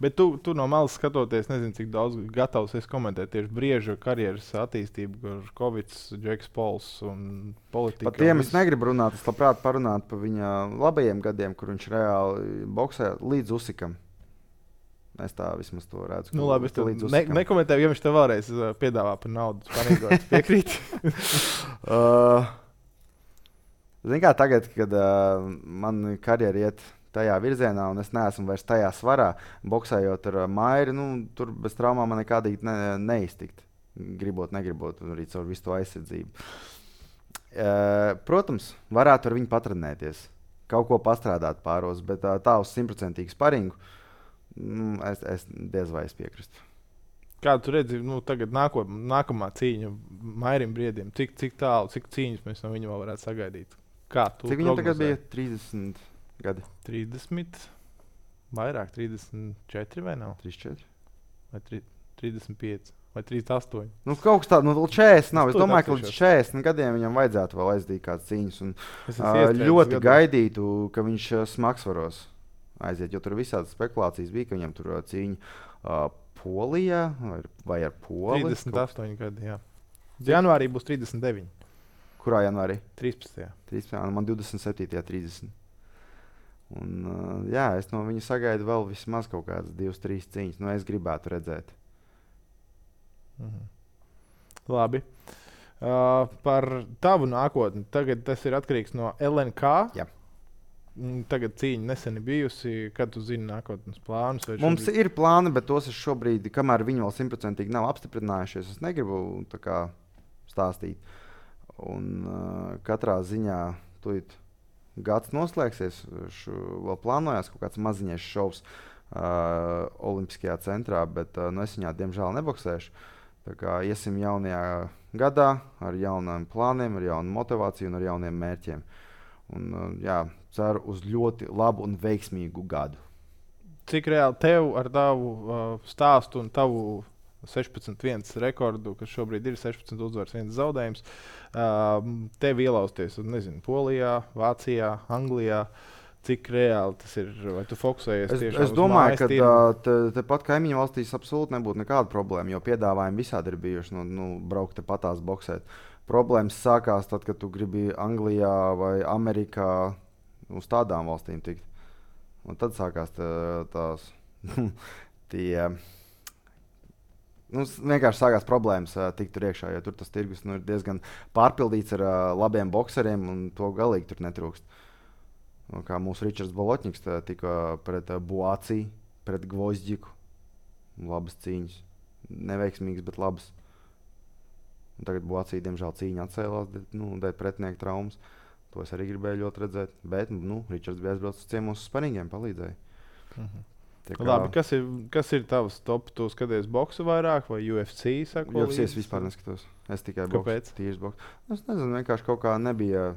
Bet tu, tu no malas skatoties, nezinu, cik daudz gatavs esi komentēt tieši Brieža karjeras attīstību, kur Kovics, Džeks Pols un politika. Par tiem es negribu runāt, es labprāt parunāt par viņa labajiem gadiem, kur viņš reāli boksē līdz Usykam. Es tā vismaz to redzu. Nu labi, es to ne, nekomentēju, ja viņš tev vēlreiz uh, piedāvā par naudu. Spanīgot, piekrīt? uh, Zini kā tagad, kad uh, man karjera iet tajā virzienā, un es neesmu vairs tajā svarā, boksējot ar uh, Mairi, nu, tur bez traumām man nekādīgi ne, neiztikt. Gribot, negribot, arī caur visu to aizsardzību. Uh, protams, varētu ar viņu patrenēties, kaut ko pastrādāt pāros, bet uh, tā uz simtprocentīgu sparingu, nu, es, es diez vai es piekrītu. Kā tu redzi, nu, tagad nāko, nākamā cīņa Mairim Briedim, cik, cik tālu, cik cīņas mēs no viņa vēl varētu sagaidīt? Kā tu cik viņam tagad bija trīsdesmit gadi? trīsdesmit, vairāk, trīsdesmit četri vai nav? trīsdesmit četri? Vai tri, trīsdesmit pieci? Vai trīsdesmit astoņi? Nu, kaut kas tāds, nu, četrdesmit nav. Es, es domāju, ka līdz četrdesmit gadiem viņam vajadzētu vēl aizdīt kādas cīņas. Un, uh, ļoti gados. Gaidītu, ka viņš uh, smagsvaros aiziet, jo tur visādas spekulācijas bija, ka viņam tur uh, cīņa uh, Polijā vai, vai ar Poli. trīsdesmit astoņi gadi, jā. Janvārī būs trīsdesmit deviņi. Kurā janvārī? trīspadsmitajā. trīspadsmitajā, man divdesmit septītajā trīsdesmit. Un, uh, jā, es no viņa sagaidu vēl vismaz kaut kādas divas, trīs cīņas. Nu, es gribētu redzēt. Mhm. Labi. Uh, par tavu nākotni. Tagad tas ir atkarīgs no L N K. Jā. Tagad cīņa nesen ir bijusi. Kad tu zini nākotnes plānus? Mums šobrīd... ir plāni, bet tos es šobrīd, kamēr viņi vēl simtprocentīgi nav apstiprinājušies, es negribu tā kā stāstīt. Un uh, katrā ziņā tūlīt gads noslēgsies. Šu, vēl plānojās kaut kāds maziņais šovs uh, Olimpiskajā centrā, bet uh, no es viņā diemžēl neboksēšu. Tā kā iesim jaunajā gadā ar jauniem plāniem, ar jaunu motivāciju un ar jauniem mērķiem. Un, uh, jā, ceru uz ļoti labu un veiksmīgu gadu. Cik reāli tev ar tavu uh, stāstu un tavu sešpadsmit viens rekordu, kas šobrīd ir sešpadsmit uzvaras, viens zaudējums, uh, tev ielausties, nezinu, Polijā, Vācijā, Anglijā, cik reāli tas ir, vai tu fokusējies es, tiešām es domāju, uz ka tirgu? te, tepat kaimiņu valstīs absolūti nebūtu nekāda problēma, jo piedāvājumi visādi ir bijuši, nu, nu braukt te patās boksēt. Problēmas sākās tad, kad tu gribi Anglijā vai Amerikā uz tādām valstīm tikt. Un tad sākās tā, tās tie, nu, vienkārši sākās problēmas uh, tikt tur iekšā, jo tur tas tirgus nu, ir diezgan pārpildīts ar uh, labiem bokseriem un to galīgi tur netrūkst. Un kā mūsu Ričards Bolotņiks tika pret Buāciju, pret Gvozdžiku. Labas cīņas. Neveiksmīgas, bet labas. Un tagad Buācija, diemžēl, cīņa atcēlās nu, dēļ pretinieku traumas. To es arī gribēju ļoti redzēt. Bet nu, Ričards bija aizbraucis uz ciemos uz sparingiem, palīdzēja. Mhm. Kā... Labi, kas ir, kas ir tavs top? Tu skaties boksu vairāk vai U F C? Sako, U F C es vispār neskatos. Es tikai boksu, tīrs boksu. Es nezinu, vienkārši kaut kā nebija...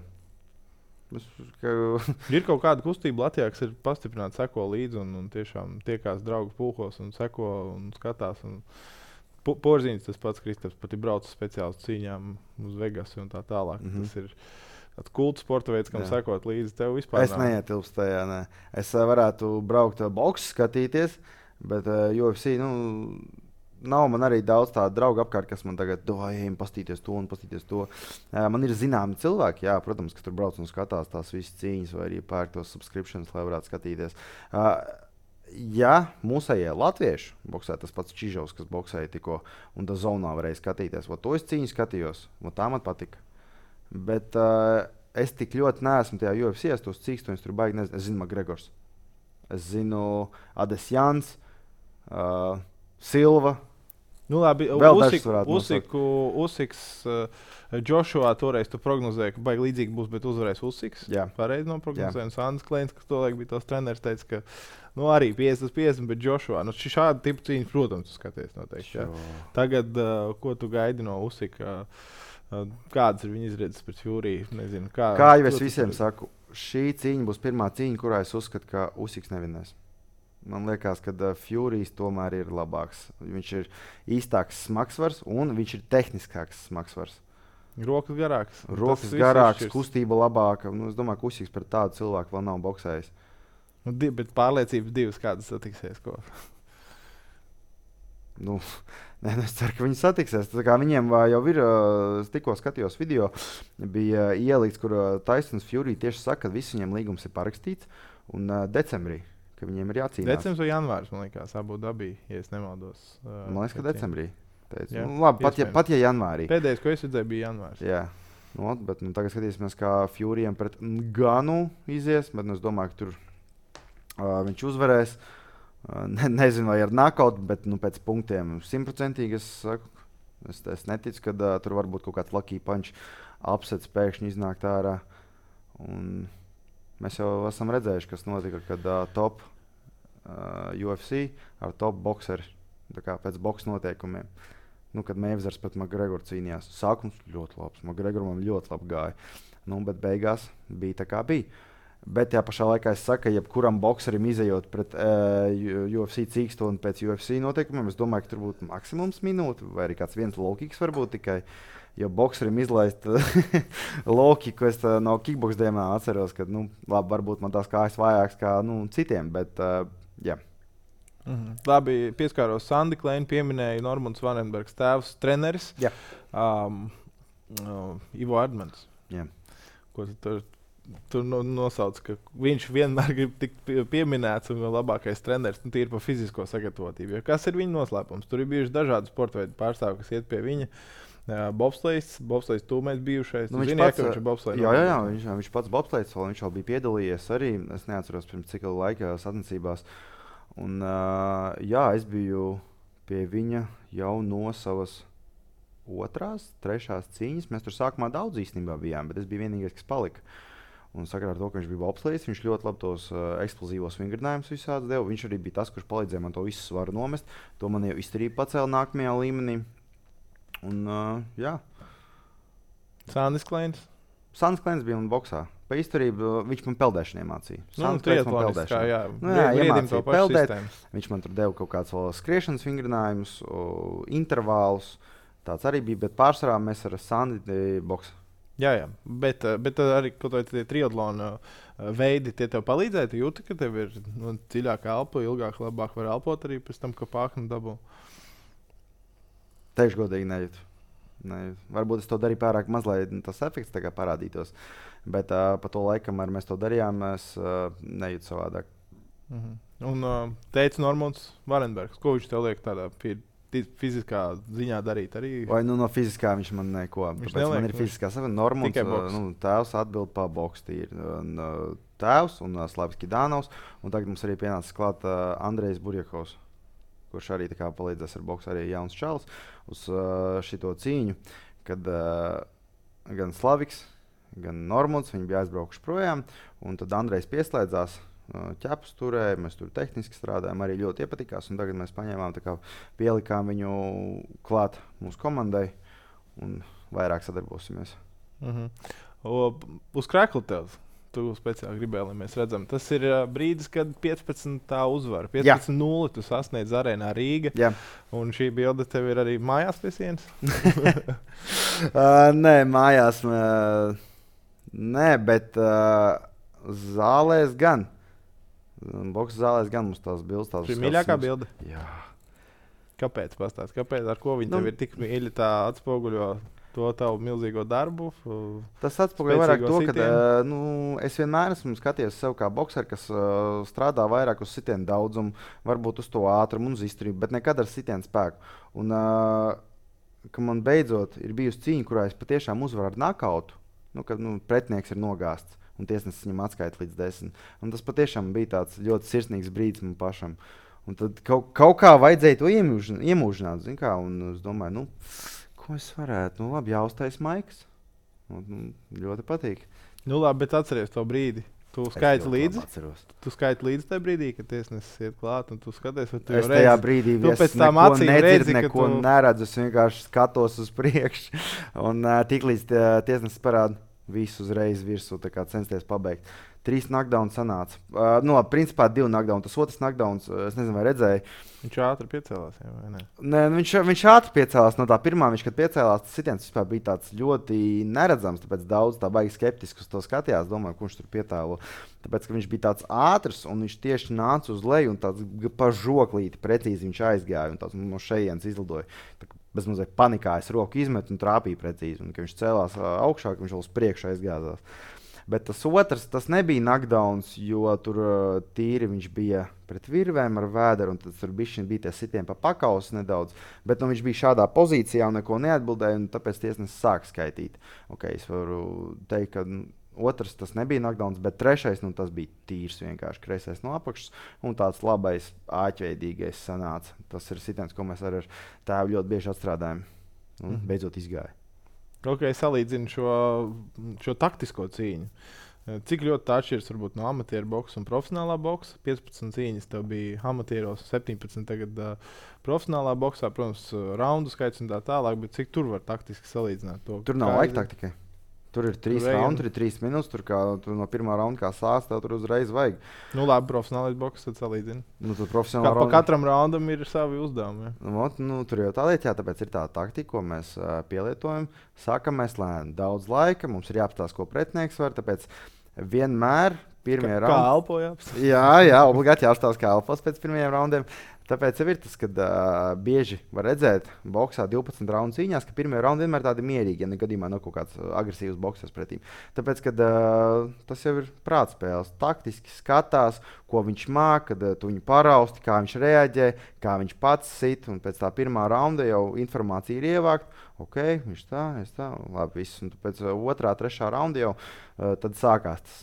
Es, ka... Ir kaut kāda kustība Latvijā, kas ir pastiprināta, seko līdzi un, un tiešām tiekās draugu pulkos un seko un skatās. Un... Porziņš tas pats, Kristaps, pat ir braucis speciāli uz cīņām uz Vegasu un tā tālāk. Mm-hmm. Tas ir tāds kults sporta veids, kam jā. Sekot līdzi tev vispār. Es neietilpstu tajā, ne. Es uh, varētu braukt uh, boksu skatīties, bet uh, U F C, nu, nav man arī daudz tādu draugu apkārt, kas man tagad dojiem pastīties to un pastīties to. Uh, man ir zināmi cilvēki, jā, protams, kas tur brauc un skatās tās visas cīņas vai arī pērk tos subscriptions, lai varētu skatīties. Uh, ja mūsējie latvieši boksē, tas pats Čižovs, kas boksēja tikko un tā zonā varēja skatīties, o to es cīņu skatījos, o tā man patika. Bet uh, es tik ļoti neesmu tajā U F C, es tos cīkstoņus tur baigi nezinu. Es zinu Makgregors, es zinu Adesjans, uh, Silva. Nu labi, Usik, Usiku, Usiks, uh, Joshua toreiz tu prognozēji, ka baigi līdzīgi būs, bet uzvarēs Usiks. Jā. Pareizi noprognozēji. Un Sandis Kleins, kas tolaik bija tos treneris, teica, ka nu, arī piecdesmit piecdesmit, bet Joshua. Nu, šādu tipu cīņu, protams, tu skaties noteikti. Tagad, uh, ko tu gaidi no Usika? Uh, kādas ir viņa izredzes pret Fury? Nezinu, kā, kā jau es visiem ir? Saku, šī cīņa būs pirmā cīņa, kurā es uzskatu, ka Usiks nevinēs. Man liekas, ka uh, Furijs tomēr ir labāks. Viņš ir īstāks smagsvars un viņš ir tehniskāks smagsvars. Rokas garāks. Rokas garāks, kustība labāka. Nu, es domāju, ka Usiks pret tādu cilvēku vēl nav boksējis. Nu, di- bet pārliecības divas kādas satiksies. Ko? Nu, nē, es ceru, ka viņi satiksies. Tā kā viņiem jau ir, es tikko skatījos video, bija ielikts, kur Tysons Fury tieši saka, ka viss viņiem līgums ir parakstīts un uh, decembrī, ka viņiem ir jācīnās. Decembris vai janvārs, man liekas, Abu Dabī, ja es nemaldos. Uh, man liekas, ka decembrī. Nu, labi, pat ja, pat ja janvārī. Pēdējais, ko es redzēju, bija janvārs. Jā, nu, bet nu, tagad skatīsimies, kā Furyiem pret Ganu izies, bet nu, es domāju, ka tur uh, viņš uzvarēs. Ne, nezinu, vai ar knockout, bet nu, pēc punktiem simtprocentīgi es saku, es, es neticu, ka uh, tur var būt kaut kāds lucky punch upsets pēkšņi iznākt ārā. Un mēs jau esam redzējuši, kas notika, kad uh, top uh, U F C ar top bokseri, tā kā pēc boks noteikumiem. Nu, kad Mayweathers pret Makgregoru cīnījās. Sākums ļoti labs, Makgregoram ļoti labi gāja. Nu, bet beigās bija tā kā bija. Bet tajā pašā laikā es saku, ka jebkuram bokserim izejot pret uh, U F C cīkstoni pēc U F C noteikumiem, es domāju, ka tur būtu maksimums minūte vai arī kāds viens low-kicks varbūt tikai. Jo bokserim izlaist low-kicku, es uh, no kickbox dēmā atceros, ka, nu, labi, varbūt man tās kājas vājāks kā, nu, citiem, bet, uh, jā. Mhm. Labi, pieskāros Sandi Kleinu, pieminēju Normunds Vanenbergs tēvs, treneris. Jā. Um, uh, Ivo Erdmans. Jā. Ko tu tur... Tur nosauc, ka viņš vienmēr grib tikt pie, pieminēts un labākais treneris, nu, tīri par fizisko sagatavotību. Jo kas ir viņa noslēpums? Tur ir bijuši dažādi sporta veidu pārstāvji, kas iet pie viņa. Uh, bobslejs, bobslejs tūmēs bijušais. Nu, viņš zini, pats, ja, viņš ir bobslejs. Jā, jā, jā, viņš, viņš pats bobslejs, viņš jau bija piedalījies arī. Es neatceros pirms cik laika sacensībās. Un, uh, jā, es biju pie viņa jau no savas otrās, trešās cīņas. Mēs tur sākumā daudz īstenībā bijām, bet es biju vienīgais, kas palika. Un sakarā ar to, ka viņš bija bobslejs, viņš ļoti labi tos uh, eksplozīvos vingrinājumus visādi deva. Viņš arī bija tas, kurš palīdzēja man to visu svaru nomest. To man jau izturība pacēla nākamajā līmenī. Un, uh, jā. Sandis Kleins? Sandis Kleins bija man boksā. Pa izturību viņš man peldēšaniem mācīja. Nu, triatloniskā, jā. Nu, jā, iemācīja peldēt. Viņš man tur deva kaut kāds vēl skriešanas vingrinājumus, intervālus. Tāds arī bija, bet pārsvarā mēs ar Sandi boksā. Jā, jā, bet, bet arī kaut kādi triatlona veidi tie tev palīdzēja. Tu jūti, ka tev ir nu, dziļāka elpa, ilgāk, labāk var elpot arī pēc tam, ka pāknu dabū. Teikšu godīgi nejūtu. nejūtu. Varbūt es to darīju pārāk maz, lai tas efekts tagad parādītos. Bet uh, pa to laikam, ar mēs to darījām, es uh, nejūtu savādāk. Mhm. Un uh, teica Normunds Vanenbergs, ko viņš tev liek tādā pie fiziskā ziņā darīt arī? Vai nu no fiziskā viņš man neko. Viņš neliek, man ir fiziskā sava. Normunds, uh, nu, tēvs atbild pa boks tīri. Un, uh, tēvs un uh, Slavs Kidānovs. Un tagad mums arī pienācis klāt uh, Andrejs Burjakovs, kurš arī tā kā palīdzēs ar boksu, arī jauns čalis uz uh, šito cīņu, kad uh, gan Slaviks, gan Normunds, viņi bija aizbraukuši projām, un tad Andrejs pieslēdzās, uh, ķepus turēja, mēs tur tehniski strādājām, arī ļoti iepatikās, un tagad mēs paņēmām, tā kā pielikām viņu klāt mūsu komandai, un vairāk sadarbosimies. Mhm. O, uz krekla tev. Tu speciāli gribēji, lai mēs redzam. Tas ir uh, brīdis, kad piecpadsmit uzvara. piecpadsmit nulle tu sasniedz arēnā Rīga. Jā. Un šī bilde tev ir arī mājās pie sienas? uh, nē, mājās. Uh, nē, bet uh, zālēs gan. Boksa zālēs gan mums tās bildes. Tās šī mīļākā mums... bilde? Jā. Kāpēc pastāst? Kāpēc? Ar ko viņi nu, tev ir tik mīļi tā atspoguļo? To tavu milzīgo darbu. Tas atspoguļo vairāk to, ka uh, nu, es vienmēr esmu skatījies sev kā bokseru, kas uh, strādā vairāk uz sitienu daudzumu, varbūt uz to ātrumu un uz izturību, bet nekad ar sitienu spēku. Un, uh, ka man beidzot ir bijusi cīņa, kurā es patiešām uzvaru ar nakautu, nu, kad nu, pretinieks ir nogāsts un tiesnesis viņam atskaita līdz desmit. Un tas patiešām bija tāds ļoti sirsnīgs brīdis man pašam. Un tad kaut, kaut kā vajadzēja to iemūžināt, zin kā, un es domāju, nu, ko es varētu? Nu, labi, jāuztais maikas. Nu, ļoti patīk. Nu, labi, bet atceries to brīdi. Tu skaiti līdzi? Tu skaiti līdzi tajā brīdī, kad tiesnesis iet klāt, un tu skaties, vai tu jau reizi... Es tajā brīdī tu pēc tām acīm redzi, neko tu... neredzu. Es vienkārši skatos uz priekšu, un uh, tiklīdz tiesnesis parāda visu uzreiz virsū, tā kā censties pabeigt. Trīs knockdowns sanāca. Uh, nu, labi, principā divi knockdowns. Tas otrs knockdowns, uh, es nezinu, vai redzēju. Viņš ātri piecēlās, jā, vai ne? Nē, viņš, viņš ātri piecēlās no tā pirmā. Viņš, kad piecēlās, tas sitiens vispār bija tāds ļoti neredzams, tāpēc daudz tā baigi skeptiski uz to skatījās. Domāju, ko viņš tur pietēlo. Tāpēc, ka viņš bija tāds ātrs, un viņš tieši nāca uz leju, un tāds pa žoklīti precīzi viņš aizgāja, un tāds no šejienes izlidoja. Tā, bez mazliet panikā es roku izmetu un trāpīju precīzi. Un, kad viņš cēlās augšā, ka viņš vēl uz priekšu aizgāzās. Bet tas otrs, tas nebija knockdowns, jo tur uh, tīri viņš bija pret virvēm ar vēderu, un tur bišķiņ bija tie sitieni pa pakausu nedaudz. Bet nu, viņš bija šādā pozīcijā un neko neatbildēja, un tāpēc tiesnesis sāk skaitīt. Okay, es varu teikt, ka nu, otrs tas nebija knockdowns, bet trešais, nu, tas bija tīrs vienkārši kreisais no apakšas, un tāds labais āķveidīgais sanāca. Tas ir sitiens, ko mēs ar tēvu ļoti bieži atstrādājam, un mm-hmm. beidzot izgāja. Ok, salīdzinu šo, šo taktisko cīņu. Cik ļoti tā atšķiras varbūt no amatieru boksa un profesionālā boksa? piecpadsmit cīņas tev bija amatieros, septiņpadsmit tagad uh, profesionālā boksā, protams, raundu skaits un tā tālāk, bet cik tur var taktiski salīdzināt to? Tur nav laika taktikai. Tur ir trīs raundi, tur ir trīs minūtes, tur, kā, tur no pirmā raunda kā sāc, tev tur uzreiz vajag. Nu labi, profesionālais boks tad salīdzina. Nu, tur profesionālā Kā, pa katram raundam ir savi uzdevumi. Ja? Nu, nu, tur jau tā lieta, jā, tāpēc ir tā taktika, ko mēs uh, pielietojam. Sākam mēs lēni, daudz laika, mums ir jāapstāsta, ko pretinieks var, tāpēc vienmēr pirmie Ka, raundi. Kā elpo jāapstāsta? Jā, jā, obligāti jāapstāsta, kā elpos pēc pirmajiem raundiem. Tāpēc ir tas, ka uh, bieži var redzēt, boxā divpadsmit raundu cīņās, ka pirmie raundi vienmēr tādi mierīgi, ja ne gadījumā nav kaut kāds agresīvs boxers pretī. Tāpēc, kad uh, tas jau ir prātspēles, taktiski skatās, ko viņš māk, kad uh, tu viņu parausti, kā viņš reaģē, kā viņš pats sit, un pēc tā pirmā raunda jau informācija ir ievākt. Ok, viņš tā, es tā, labi, viss. Un pēc uh, otrā, trešā raunda jau uh, tad sākās tas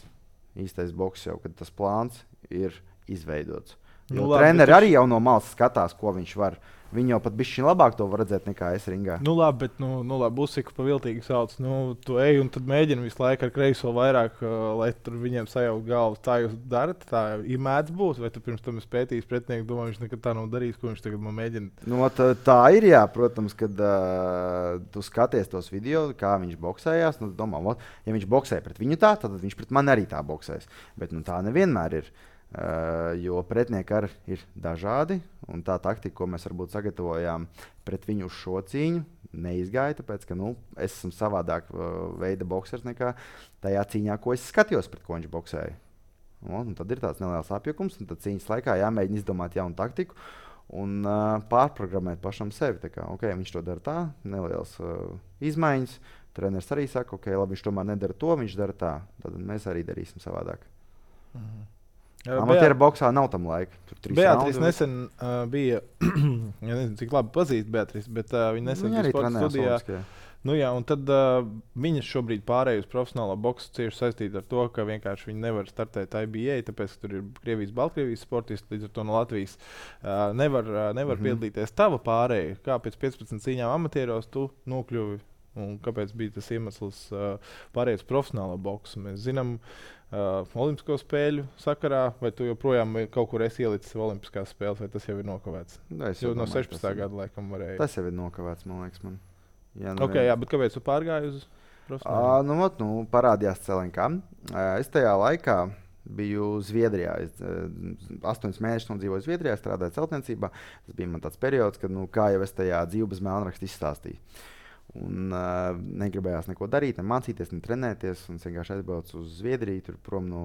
īstais boks jau, kad tas plāns ir izveidots. Jo nu, labi, treneri arī jau no malas skatās, ko viņš var. Viņi jau pat bišķiņ labāk to var redzēt nekā es ringā. Nu labi, bet nu, nu labi, Usiku pa viltīgi sauc. Nu, tu ej un tad mēģini visu laiku ar kreiso vairāk, uh, lai tur viņiem sajaukt galvu. Tā jūs darat, tā ir mēdz būt. Vai tu pirms tam esi pētījis pretinieku, domā, viņš nekad tā nav darījis, ko viņš tagad man mēģina? Nu, tā, tā ir, jā, protams, kad uh, tu skaties tos video, kā viņš boksējās. Nu, domā, ot, ja viņš boksēja pret viņu tā, tad viņš pret mani arī tā boksēs. Bet nu, tā nevienmēr ir. Uh, jo pretinieki arī ir dažādi, un tā taktika, ko mēs varbūt sagatavojām pret viņu uz šo cīņu, neizgāja, tāpēc, ka nu, es esmu savādāk uh, veida boksers nekā tajā cīņā, ko es skatījos, pret ko viņš boksēja. Un, un tad ir tāds neliels apjukums, un tad cīņas laikā jāmēģina izdomāt jaunu taktiku un uh, pārprogrammēt pašam sevi. Tā kā, okay, viņš to dara tā, neliels uh, izmaiņas, treneris arī saka, ok, labi, viņš tomēr nedara to, viņš dara tā, tad mēs arī darīsim savādāk. Mhm. Amatieru boksā nav tam laika. Beatrice nesen uh, bija, ja nezinu, cik labi pazīst Beatrice, bet uh, viņa nesen bija sporta studijā. Nu, jā, un tad uh, viņas šobrīd pārēj uz profesionālo boksu cieši saistīta ar to, ka vienkārši viņi nevar startēt I B A, tāpēc, ka tur ir Krievijas, Baltkrievijas sportisti, līdz ar to no Latvijas uh, nevar, uh, nevar mm -hmm. piedalīties. Tava pārēja, kā pēc piecpadsmit cīņām amatieros tu nokļuvi un kāpēc bija tas iemesls uh, pārējai uz profesionālo boksu? Mēs zinām, uh, Olimpisko spēļu sakarā, vai tu joprojām kaut kur esi ielicis Olimpiskās spēles, vai tas jau ir nokavēts? Jo no sešpadsmitā gada laikam varēja. Tas jau ir nokavēts, man liekas. Man. Jā, nu okay, jā, bet kāpēc tu pārgāji uz profesionālu? Uh, nu, ot, nu, parādījās C L N K. Uh, es tajā laikā biju Zviedrijā. Es uh, astoņus mēnešus nodzīvoju Zviedrijā, strādāju celtniecībā. Tas bija man tāds periods, kad, nu, kā jau es tajā dzīvu bez melnraksta izstāstīju. Un uh, negribējās neko darīt, ne mācīties, ne trenēties. Es vienkārši aizbraucu uz Zviedriju, tur prom no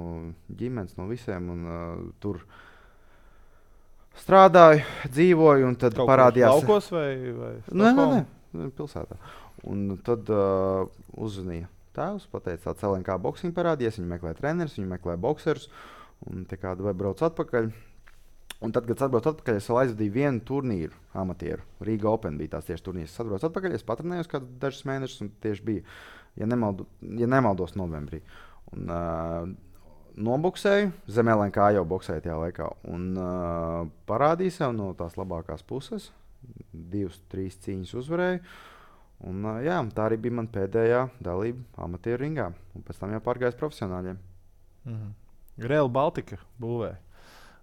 ģimenes, no visiem. Un, uh, tur strādāju, dzīvoju, un tad kaut parādījās. Kaut laukos vai, vai nē, nē, nē, pilsētā. Un tad uh, uzzvanīja tēvs, pateica, ka C L N K boxing parādījies, viņi meklē trenerus, viņi meklē bokserus. Un te kādu vai brauc atpakaļ. Un tad, kad es atbraucu atpakaļ, es vēl aizvadīju vienu turnīru amatieru. Riga Open bija tās tieši turnīrs. Es atbraucu atpakaļ, es patrenējos kādu dažus mēnešus, un tieši bija, ja, nemaldu, ja nemaldos, novembrī. Un uh, noboksēju, zem L N K jau boksēju tajā laikā. Un uh, parādīju sev no tās labākās puses. Divas, trīs cīņas uzvarēju. Un, uh, jā, tā arī bija mana pēdējā dalība amatieru ringā. Un pēc tam jau pārgājis profesionāļiem. Mm-hmm. Real Baltica būvē.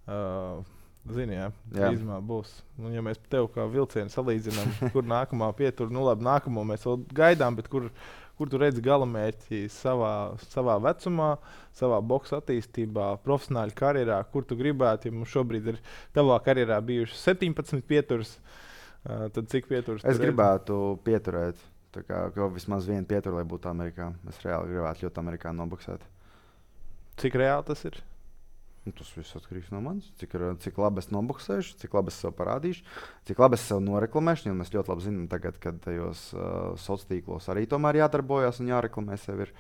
Uh, Zini, jā, drīzumā būs. Nu, ja mēs tev kā vilcienu salīdzinām, kur nākamā pietur, nu labi, nākamo mēs vēl gaidām, bet kur, kur tu redzi galamērķi savā, savā vecumā, savā boksa attīstībā, profesionāļu karjerā, kur tu gribētu, ja mums šobrīd ir tavā karjerā bijuši septiņpadsmit pieturas, uh, tad cik pieturas? Es gribētu pieturēt, tā kā vismaz vienu pieturu, lai būtu Amerikā. Es reāli gribētu ļoti Amerikā noboksēt. Cik reāli tas ir? Nu, tas viss atkarīgs no manis. Cik, cik labi es noboksēšu, cik labi es sev parādīšu, cik labi es sev noreklamēšu. Jo mēs ļoti labi zinām, tagad, kad tajos uh, sociālos tīklos arī tomēr jādarbojas un jāreklamē sev. Ir.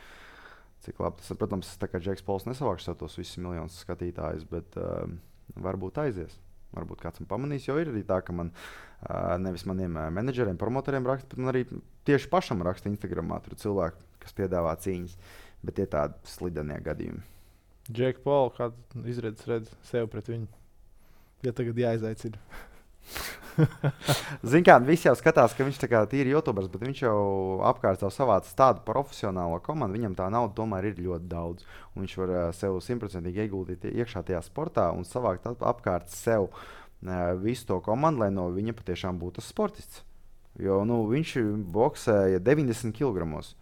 Cik labi tas ir. Protams, tā kā Džeks Pols nesavāks sev tos visus miljonus skatītājus, bet uh, varbūt aizies. Varbūt kāds man pamanīs, jo ir arī tā, ka man uh, nevis maniem uh, menedžeriem, promotoriem raksta, bet man arī tieši pašam raksta Instagramā. Tur ir cilvēki, kas piedāvā cīņas, bet tie tādi slidenie gadījumi. Džek Paul, kāda izredzes redz sev pret viņu? Ja tagad jāizaicina. Zini kā, visi jau skatās, ka viņš tā kā tīri YouTubers, bet viņš jau apkārt jau savāc tādu profesionālo komandu. Viņam tā nauda tomēr ir ļoti daudz. Un viņš var uh, sev simtprocentīgi ieguldīt iekšā tajā sportā un savākt apkārt sev uh, visu to komandu, lai no viņa patiešām būtu sportists. Jo nu, viņš boksēja deviņdesmit kilogramos.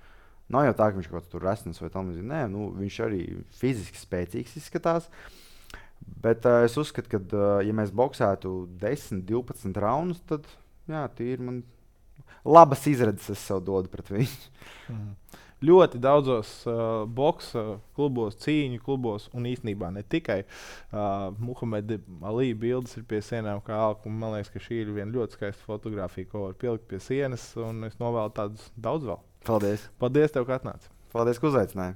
Nav jau tā, ka viņš kaut kāds tur resns vai tam līdzīgi. Nē, nu, viņš arī fiziski spēcīgs izskatās. Bet uh, es uzskatu, ka, uh, ja mēs boksētu desmit, divpadsmit raundus, tad jā, tīri man labas izredzes es sev dodu pret viņu. Mm. Ļoti daudzos uh, boksa klubos, cīņu klubos, un īstenībā ne tikai uh, Muhameda Ali bildes ir pie sienām kā alka. Man liekas, ka šī ir viena ļoti skaista fotografija, ko var pielikt pie sienas, un es novēlu tādus daudz vēl. Paldies. Paldies tev, ka atnāci. Paldies, ka uzaicināji.